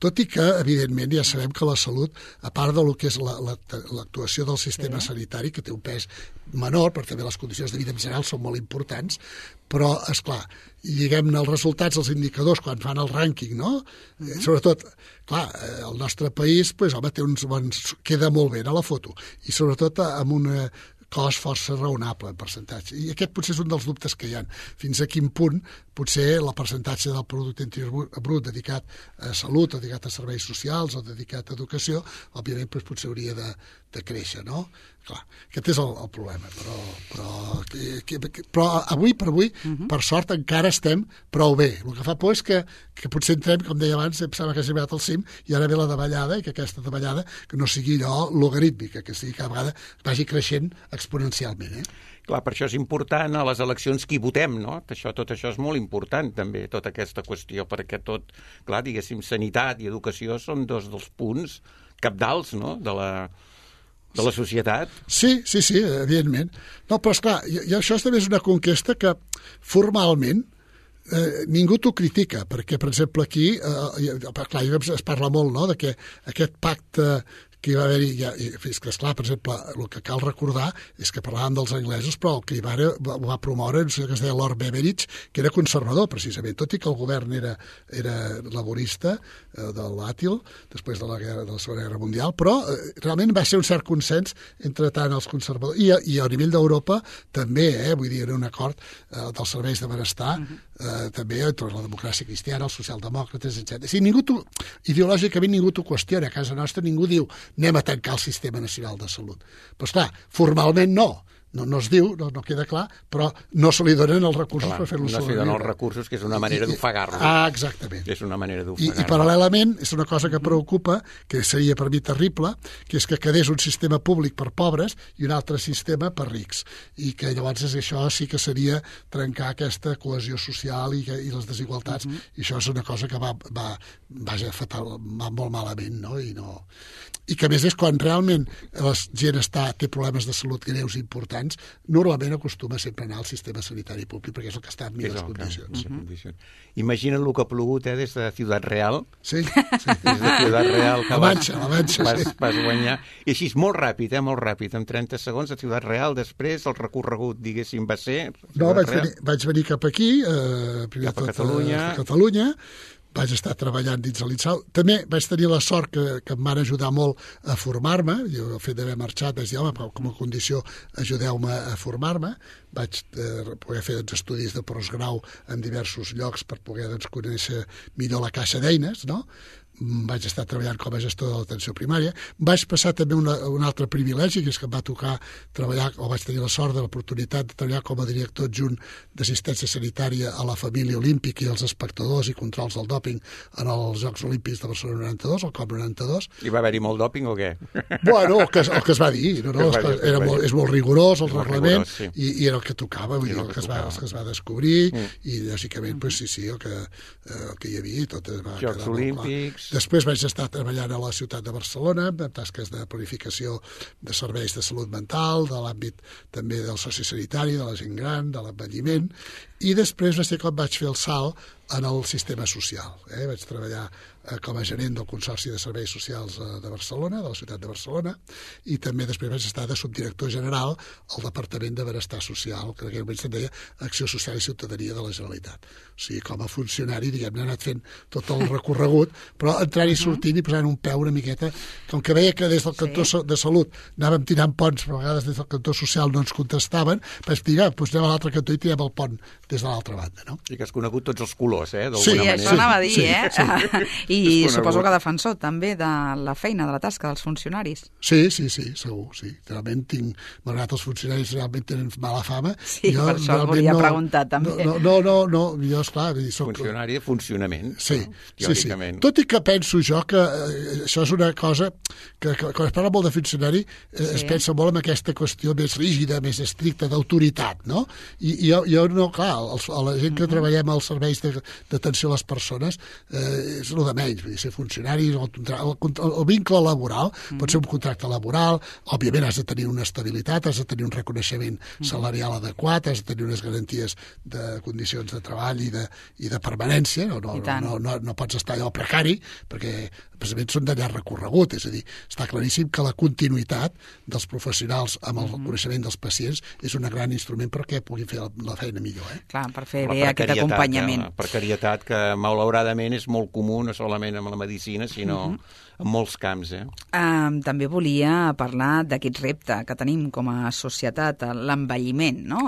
Tot i que, evidentment, ja sabem que la salut, a part del que és l'actuació del sistema sanitari, que té un pes menor, perquè també les condicions de vida en general són molt importants, però, esclar, lliguem-ne els resultats, els indicadors, quan fan el rànquing, no? Sobretot, clar, el nostre país, home, té uns bons... queda molt bé a la foto, i sobretot amb una cost força raonable en percentatge. I aquest potser és un dels dubtes que hi ha. Fins a quin punt potser el percentatge del producte interior brut dedicat a salut, o dedicat a serveis socials, o dedicat a educació, òbviament potser hauria de créixer, no? Clar, aquest és el problema, però avui per avui, per sort, encara estem prou bé. El que fa por és que potser entrem, com deia abans, em sembla que has arribat al cim, i ara ve la davallada, i que aquesta davallada que no sigui allò logarítmica, que sigui cada vegada vagi creixent exponencialment, Clar, per això és important a les eleccions qui votem, no? Tot això és molt important, també, tota aquesta qüestió, perquè tot, clar, diguéssim, sanitat i educació són 2 dels punts cabdals, no?, de la societat. Sí, evidentment. No, però esclar, i això també és una conquesta que formalment ningú t'ho critica, perquè, per exemple, aquí, clar, es parla molt, no?, de que aquest pacte que hi va haver-hi, és que, esclar, per exemple, el que cal recordar és que parlàvem dels anglesos, però el que hi va promoure un senyor que es deia Lord Beveridge, que era conservador, precisament, tot i que el govern era laborista de l'Àtil, després de la Segona Guerra Mundial, però realment va ser un cert consens entre tant els conservadors, i a nivell d'Europa també, vull dir, era un acord dels serveis de benestar, també entre la democràcia cristiana, els socialdemòcrates, etc. O sigui, ideològicament ningú t'ho qüestiona, a casa nostra ningú diu anem a tancar el sistema nacional de salut. Però, esclar, formalment no es diu, no queda clar, però no se li donen els recursos per fer-lo sobreviure. No se li donen els recursos, que és una manera d'ofegar-lo. Exactament. És una manera d'ofegar-lo. I paral·lelament, és una cosa que preocupa, que seria per mi terrible, que és que quedés un sistema públic per pobres i un altre sistema per rics. I que llavors això sí que seria trencar aquesta cohesió social i les desigualtats, i això és una cosa que va molt malament, no? I que a més és quan realment la gent té problemes de salut greus i importants, normalment acostuma sempre a anar al sistema sanitari públic, perquè és el que està en millors condicions. Imagina't el que ha plogut des de Ciutat Real. Sí. Des de Ciutat Real. La Manxa, vas guanyar. I així, molt ràpid, en 30 segons, a Ciutat Real, després el recorregut, diguéssim, va ser... No, vaig venir cap aquí, primer cap a Catalunya, vaig estar treballant dins de l'INSAL. També vaig tenir la sort que em van ajudar molt a formar-me. Jo, el fet d'haver marxat, vaig dir, home, com a condició, ajudeu-me a formar-me. Vaig poder fer estudis de postgrau en diversos llocs per poder conèixer millor la caixa d'eines, no? Vaig estar treballant com a gestor de l'atenció primària. Vaig passar també un altre privilegi, que és que em va tocar treballar, o vaig tenir la sort de l'oportunitat de treballar com a director adjunt d'assistència sanitària a la família olímpica i als espectadors i controls del dòping en els Jocs Olímpics de Barcelona 92, el COP 92. I va haver-hi molt dòping o què? Bueno, el que es va dir. És molt rigorós el reglament, i era el que tocava, vull dir, el que es va descobrir, i lògicament, sí, el que hi havia, tot va quedar Jocs Olímpics. Després vaig estar treballant a la ciutat de Barcelona amb tasques de planificació de serveis de salut mental, de l'àmbit també del sociosanitari, de la gent gran, de l'envelliment, i després va ser com vaig fer el salt en el sistema social. Vaig treballar com a gerent del Consorci de Serveis Socials de Barcelona, de la ciutat de Barcelona, i també després vaig estar de subdirector general al Departament de Benestar Social, que en aquell moment se'n deia Acció Social i Ciutadania de la Generalitat. O sigui, com a funcionari, diguem-ne, he anat fent tot el recorregut, però entrant i sortint i posant un peu una miqueta, com que veia que des del cantó de Salut anàvem tirant ponts, però a vegades des del cantó social no ens contestaven, vaig dir, doncs anem a l'altre cantó i tirem el pont des de l'altra banda, no? I que has conegut tots els colors. desconeguts, d'alguna manera. Sí, això anava a dir, I suposo que defensor també de la feina, de la tasca dels funcionaris. Sí, segur, sí. Realment malgrat els funcionaris realment tenen mala fama. Sí, per això el volia preguntar també. No, jo, esclar... Funcionari de funcionament. Sí. Tot i que penso jo que això és una cosa que quan es parla molt de funcionari es pensa molt en aquesta qüestió més rígida, més estricta, d'autoritat, no? I jo no, clar, la gent que treballem als serveis d'atenció a les persones és el de menys, vull dir, ser funcionari, el vincle laboral pot ser un contracte laboral, òbviament has de tenir una estabilitat, has de tenir un reconeixement salarial adequat, has de tenir unes garanties de condicions de treball i de permanència, no pots estar allò precari, perquè precisament són de llarg recorregut, és a dir, està claríssim que la continuïtat dels professionals amb el coneixement dels pacients és un gran instrument perquè puguin fer la feina millor. Clar, per fer bé aquest acompanyament. La precarietat que malauradament és molt comú, no solament amb la medicina, sinó en molts camps. També volia parlar d'aquest repte que tenim com a societat, l'envelliment, no?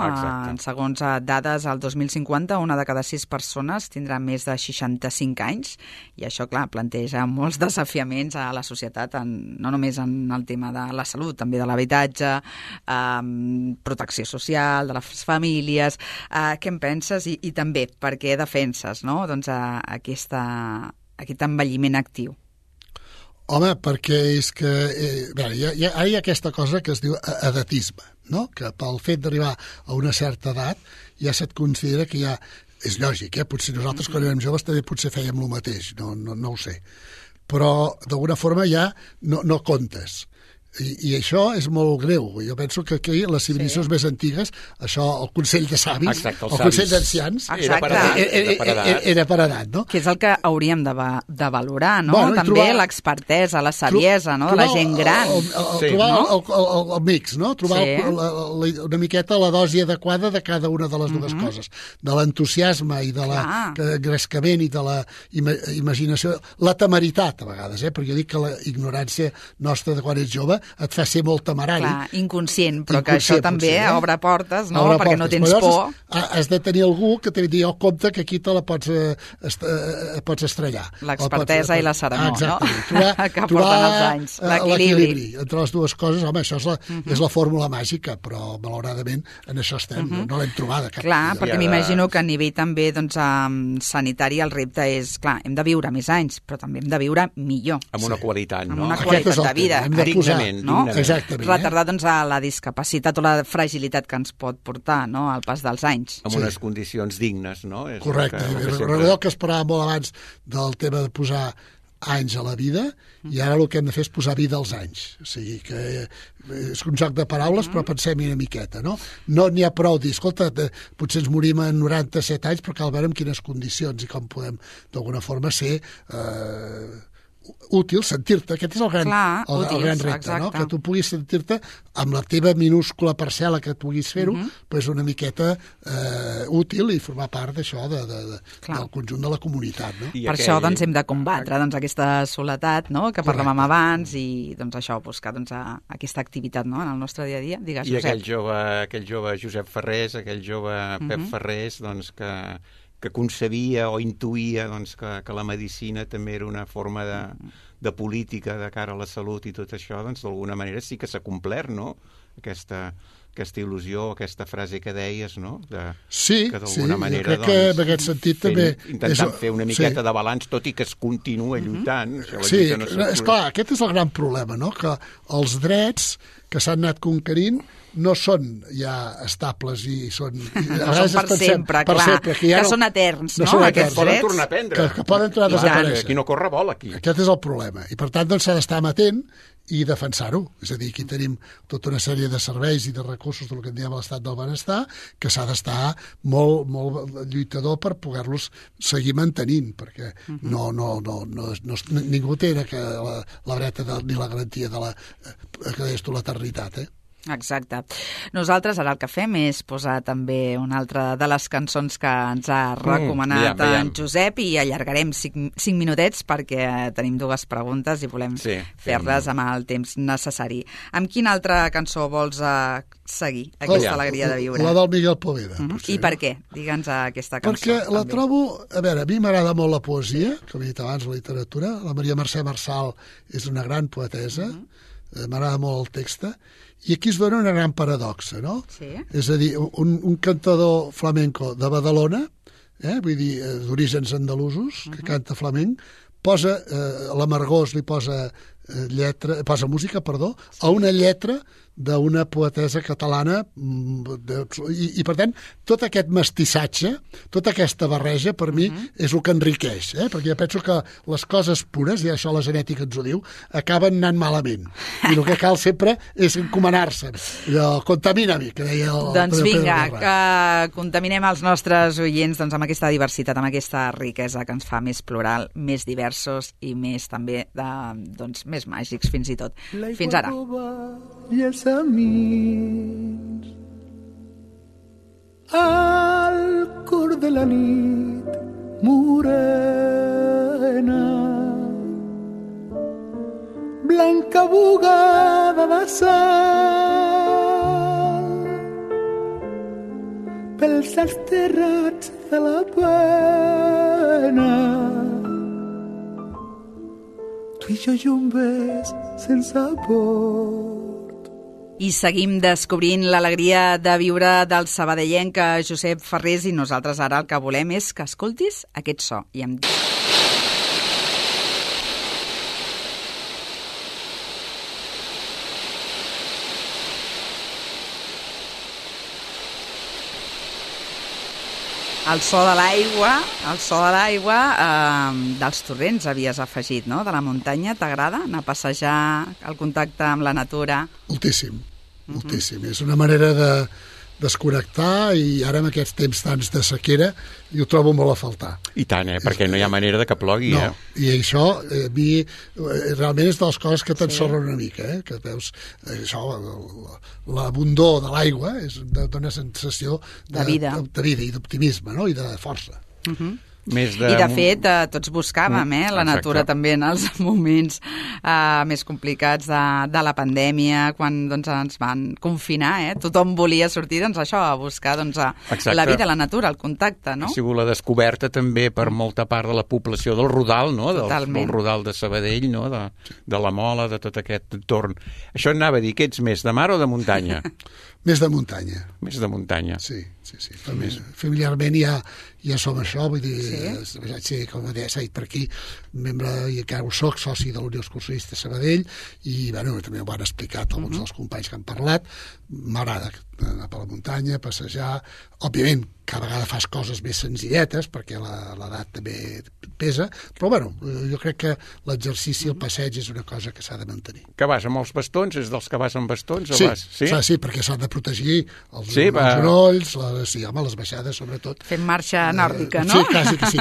Segons dades, al 2050, una de cada 6 persones tindrà més de 65 anys, i això, clar, planteja molts desafiaments a la societat, no només en el tema de la salut, també de l'habitatge, protecció social, de les famílies. Què en penses? I també, per què defenses, no? Doncs aquest envelliment actiu. Home, perquè és que ara hi ha aquesta cosa que es diu edatisme, no? Que pel fet d'arribar a una certa edat ja se't considera que ja... És lògic, potser nosaltres quan érem joves també potser fèiem el mateix, no ho sé. Però d'alguna forma ja no comptes. I això és molt greu. Jo penso que aquí, les civilizacions més antigues, això, el Consell de Savis, el Consell d'Ancians, era per edat, no? Que és el que hauríem de valorar, no? Bueno, també l'expertesa, la saviesa, no? De la gent gran. Trobar el mix, no? Trobar una miqueta la dosi adequada de cada una de les dues coses. De l'entusiasme i de l'engrescament i de la imaginació. La temeritat, a vegades, perquè jo dic que la ignorància nostra de quan ets jove et fa ser molt temerari. Clar, inconscient, però que això també obre portes, no? Perquè no tens por. Has de tenir algú que te digui, compte que aquí te la pots estrellar. L'expertesa i la serenor, no? Que porten els anys. L'equilibri entre les dues coses, home, això és la fórmula màgica, però malauradament en això estem, no l'hem trobada. Clar, perquè m'imagino que a nivell també sanitari el repte és, clar, hem de viure més anys, però també hem de viure millor. Amb una qualitat, no? Amb una qualitat de vida. Hem de posar, no? Exactament. Retardar a la discapacitat o la fragilitat que ens pot portar, no?, al pas dels anys. Amb unes condicions dignes, no? Correcte. Recordeu que es parlava molt abans del tema de posar anys a la vida, i ara el que hem de fer és posar vida als anys. O sigui que és un joc de paraules, però pensem-hi una miqueta, no? No n'hi ha prou dir, escolta, potser ens morim a 97 anys, però cal veure en quines condicions i com podem, d'alguna forma, ser... útil, sentir-te, aquest és el gran repte, exacte. No? Que tu puguis sentir-te amb la teva minúscula parcel·la que puguis fer-ho, però és una miqueta útil i formar part d'això del conjunt de la comunitat. No? Per això doncs, hem de combatre aquesta soledat, no?, que parlàvem abans, i doncs, això, buscar aquesta activitat, no?, en el nostre dia a dia. Digues, Josep. I aquell jove Josep Ferrés, aquell jove Pep Ferrés, doncs, que concebia o intuïa doncs, que la medicina també era una forma de política de cara a la salut i tot això, doncs d'alguna manera sí que s'ha complert, no?, aquesta il·lusió, aquesta frase que deies, no?, que d'alguna manera, crec que en aquest sentit també... Intentant fer una miqueta de balanç, tot i que es continua lluitant. Sí, és clar, aquest és el gran problema, no?, que els drets que s'han anat conquerint no són ja estables i són... Són per sempre, clar, que són eterns, no? Aquests poden tornar a prendre. Que poden tornar a desaparèixer. Aquí no corre vol, aquí. Aquest és el problema. I per tant, doncs, s'ha d'estar amatent i defensar-ho. És a dir, aquí tenim tota una sèrie de serveis i de recursos del que en diem l'estat del benestar, que s'ha d'estar molt, molt lluitador per poder-los seguir mantenint, perquè ningú té la dreta ni la garantia de l'eternitat, Exacte. Nosaltres ara el que fem és posar també una altra de les cançons que ens ha recomanat en Josep i allargarem 5 minutets perquè tenim 2 preguntes i volem fer-les amb el temps necessari. Amb quina altra cançó vols seguir aquesta alegria de viure? La del Miguel Poveda. I per què? Digue'ns aquesta cançó. Perquè la trobo... A veure, a mi m'agrada molt la poesia, com he dit abans, la literatura. La Maria Mercè Marçal és una gran poetesa. M'agrada molt el text. I aquí es dona una gran paradoxa, no? Sí. És a dir, un cantador flamenco de Badalona, vull dir, d'orígens andalusos, que canta flamenc, posa l'Amargós, li posa música, a una lletra d'una poetesa catalana i per tant, tot aquest mestissatge, tota aquesta barreja, per mi, és el que enriqueix, perquè jo penso que les coses pures, i això la genètica ens ho diu, acaben anant malament. I el que cal sempre és encomanar-se. Contamina-mi, que deia el Doncs vinga, que contaminem els nostres oients amb aquesta diversitat, amb aquesta riquesa que ens fa més plural, més diversos i més també més màgics, fins i tot. Fins ara. Camins al cor de la nit morena, blanca bugada de sal pels desterrats de la pena. Tu i jo jumbes sense por. I seguim descobrint l'alegria de viure del sabadellenc Josep Ferrés i nosaltres ara el que volem és que escoltis aquest so. I em... El so de l'aigua dels torrents havies afegit, no?, de la muntanya. T'agrada anar a passejar, el contacte amb la natura? Moltíssim. És una manera de desconnectar i ara amb aquests temps tants de sequera ho trobo molt a faltar. I tant, perquè no hi ha manera de que plogui. No, i això realment és de les coses que t'ensorren una mica, que veus això, l'abundor de l'aigua dona sensació de vida i d'optimisme, no?, i de força. I de fet tots buscàvem la natura també en els moments més complicats de la pandèmia, quan ens van confinar, tothom volia sortir això, a buscar la vida, la natura, el contacte, no? Ha sigut la descoberta també per molta part de la població del Rodal, no? Del Rodal de Sabadell, no? De la Mola, de tot aquest entorn. Això anava a dir que ets més de mar o de muntanya? Més de muntanya. Més de muntanya. Sí. Familiarment ja som això, vull dir, com s'ha dit per aquí, membre, i encara ho soc, soci de l'Unió Excursionista Sabadell, i també ho han explicat alguns dels companys que han parlat. M'agrada anar per la muntanya, passejar. Òbviament, cada vegada fas coses més senzilletes, perquè l'edat també pesa, però jo crec que l'exercici, el passeig, és una cosa que s'ha de mantenir. Que vas amb els bastons? És dels que vas amb bastons? Sí, perquè s'han de protegir els genolls, les baixades, sobretot. Fem marxa nòrdica, no? Sí, quasi que sí.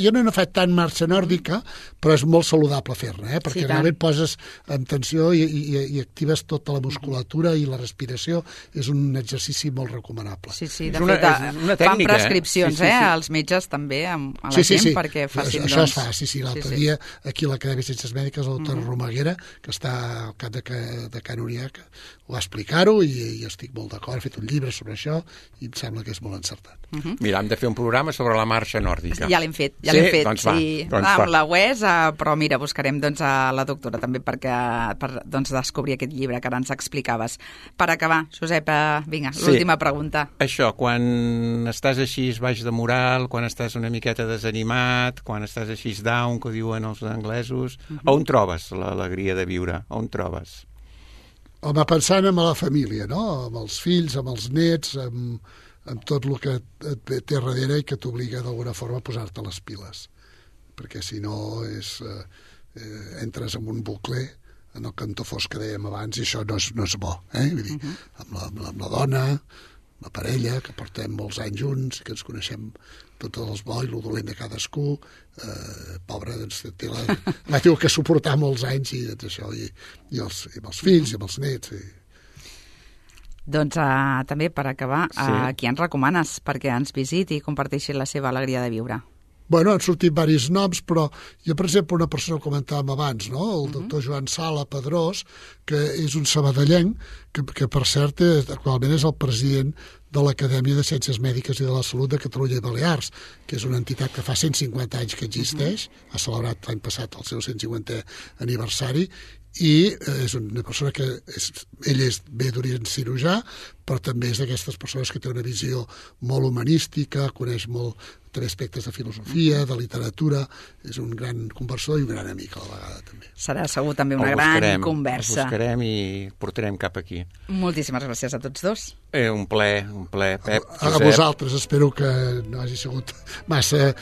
Jo no he fet tant marxa nòrdica, però és molt saludable fer-ne, perquè realment poses en tensió i actives tota la musculatura i la respiració. És un exercici molt recomanable. Sí, de fet, fan prescripcions, els metges també, a la gent, perquè facin... Això es fa, l'altre dia, aquí a l'Acadèmia de Ciències Mèdiques, el doctor Romaguera, que està al cap de Can Uniac, ho va explicar-ho i estic molt d'acord, he fet un llibre sobre això i em sembla que és molt encertat. Mira, hem de fer un programa sobre la marxa nòrdica. Ja l'hem fet, Doncs va. Amb la UES, però mira, buscarem a la doctora també per descobrir aquest llibre que ara ens explicaves. Per acabar, Josep, vinga, l'última pregunta. Això, quan estàs així baix de moral, quan estàs una miqueta desanimat, quan estàs així down, que diuen els anglesos, on trobes l'alegria de viure? On trobes? Home, pensant en la família, no? Amb els fills, amb els nets, amb tot el que et té darrere i que t'obliga d'alguna forma a posar-te les piles. Perquè si no entres en un bucle en el cantó fosc que dèiem abans i això no és bo. Vull dir, amb la dona, la parella, que portem molts anys junts, que ens coneixem tot el bo i el dolent de cadascú, pobre, l'ha tingut que suportar molts anys i això, i amb els fills i amb els nets. Doncs també, per acabar, qui ens recomanes perquè ens visiti i comparteixi la seva alegria de viure? Bueno, han sortit diversos noms, però jo, per exemple, una persona que comentàvem abans, no? El doctor Joan Sala Pedrós, que és un sabadellenc, que per cert, actualment és el president de l'Acadèmia de Ciències Mèdiques i de la Salut de Catalunya i Balears, que és una entitat que fa 150 anys que existeix, ha celebrat l'any passat el seu 150è aniversari, i és una persona que ell és bé d'origen cirurgià, però també és d'aquestes persones que té una visió molt humanística, coneix molt també aspectes de filosofia, de literatura, és un gran conversor i un gran amic a la vegada també. Serà segur també una gran conversa. El buscarem i portarem cap aquí. Moltíssimes gràcies a tots dos. Un plaer, Pep, Josep. A vosaltres, espero que no hagi sigut massa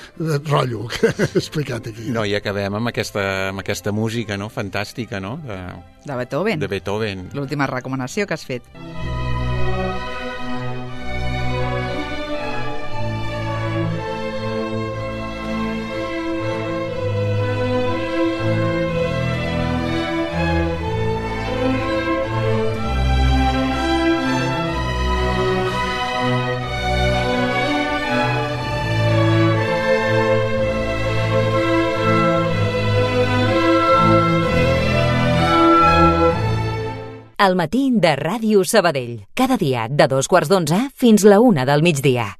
rotllo que he explicat aquí. No, i acabem amb aquesta música, no?, fantàstica, no?, de Beethoven. De Beethoven. L'última recomanació que has fet. El matí de Ràdio Sabadell. Cada dia de 2:15 fins la 1 del migdia.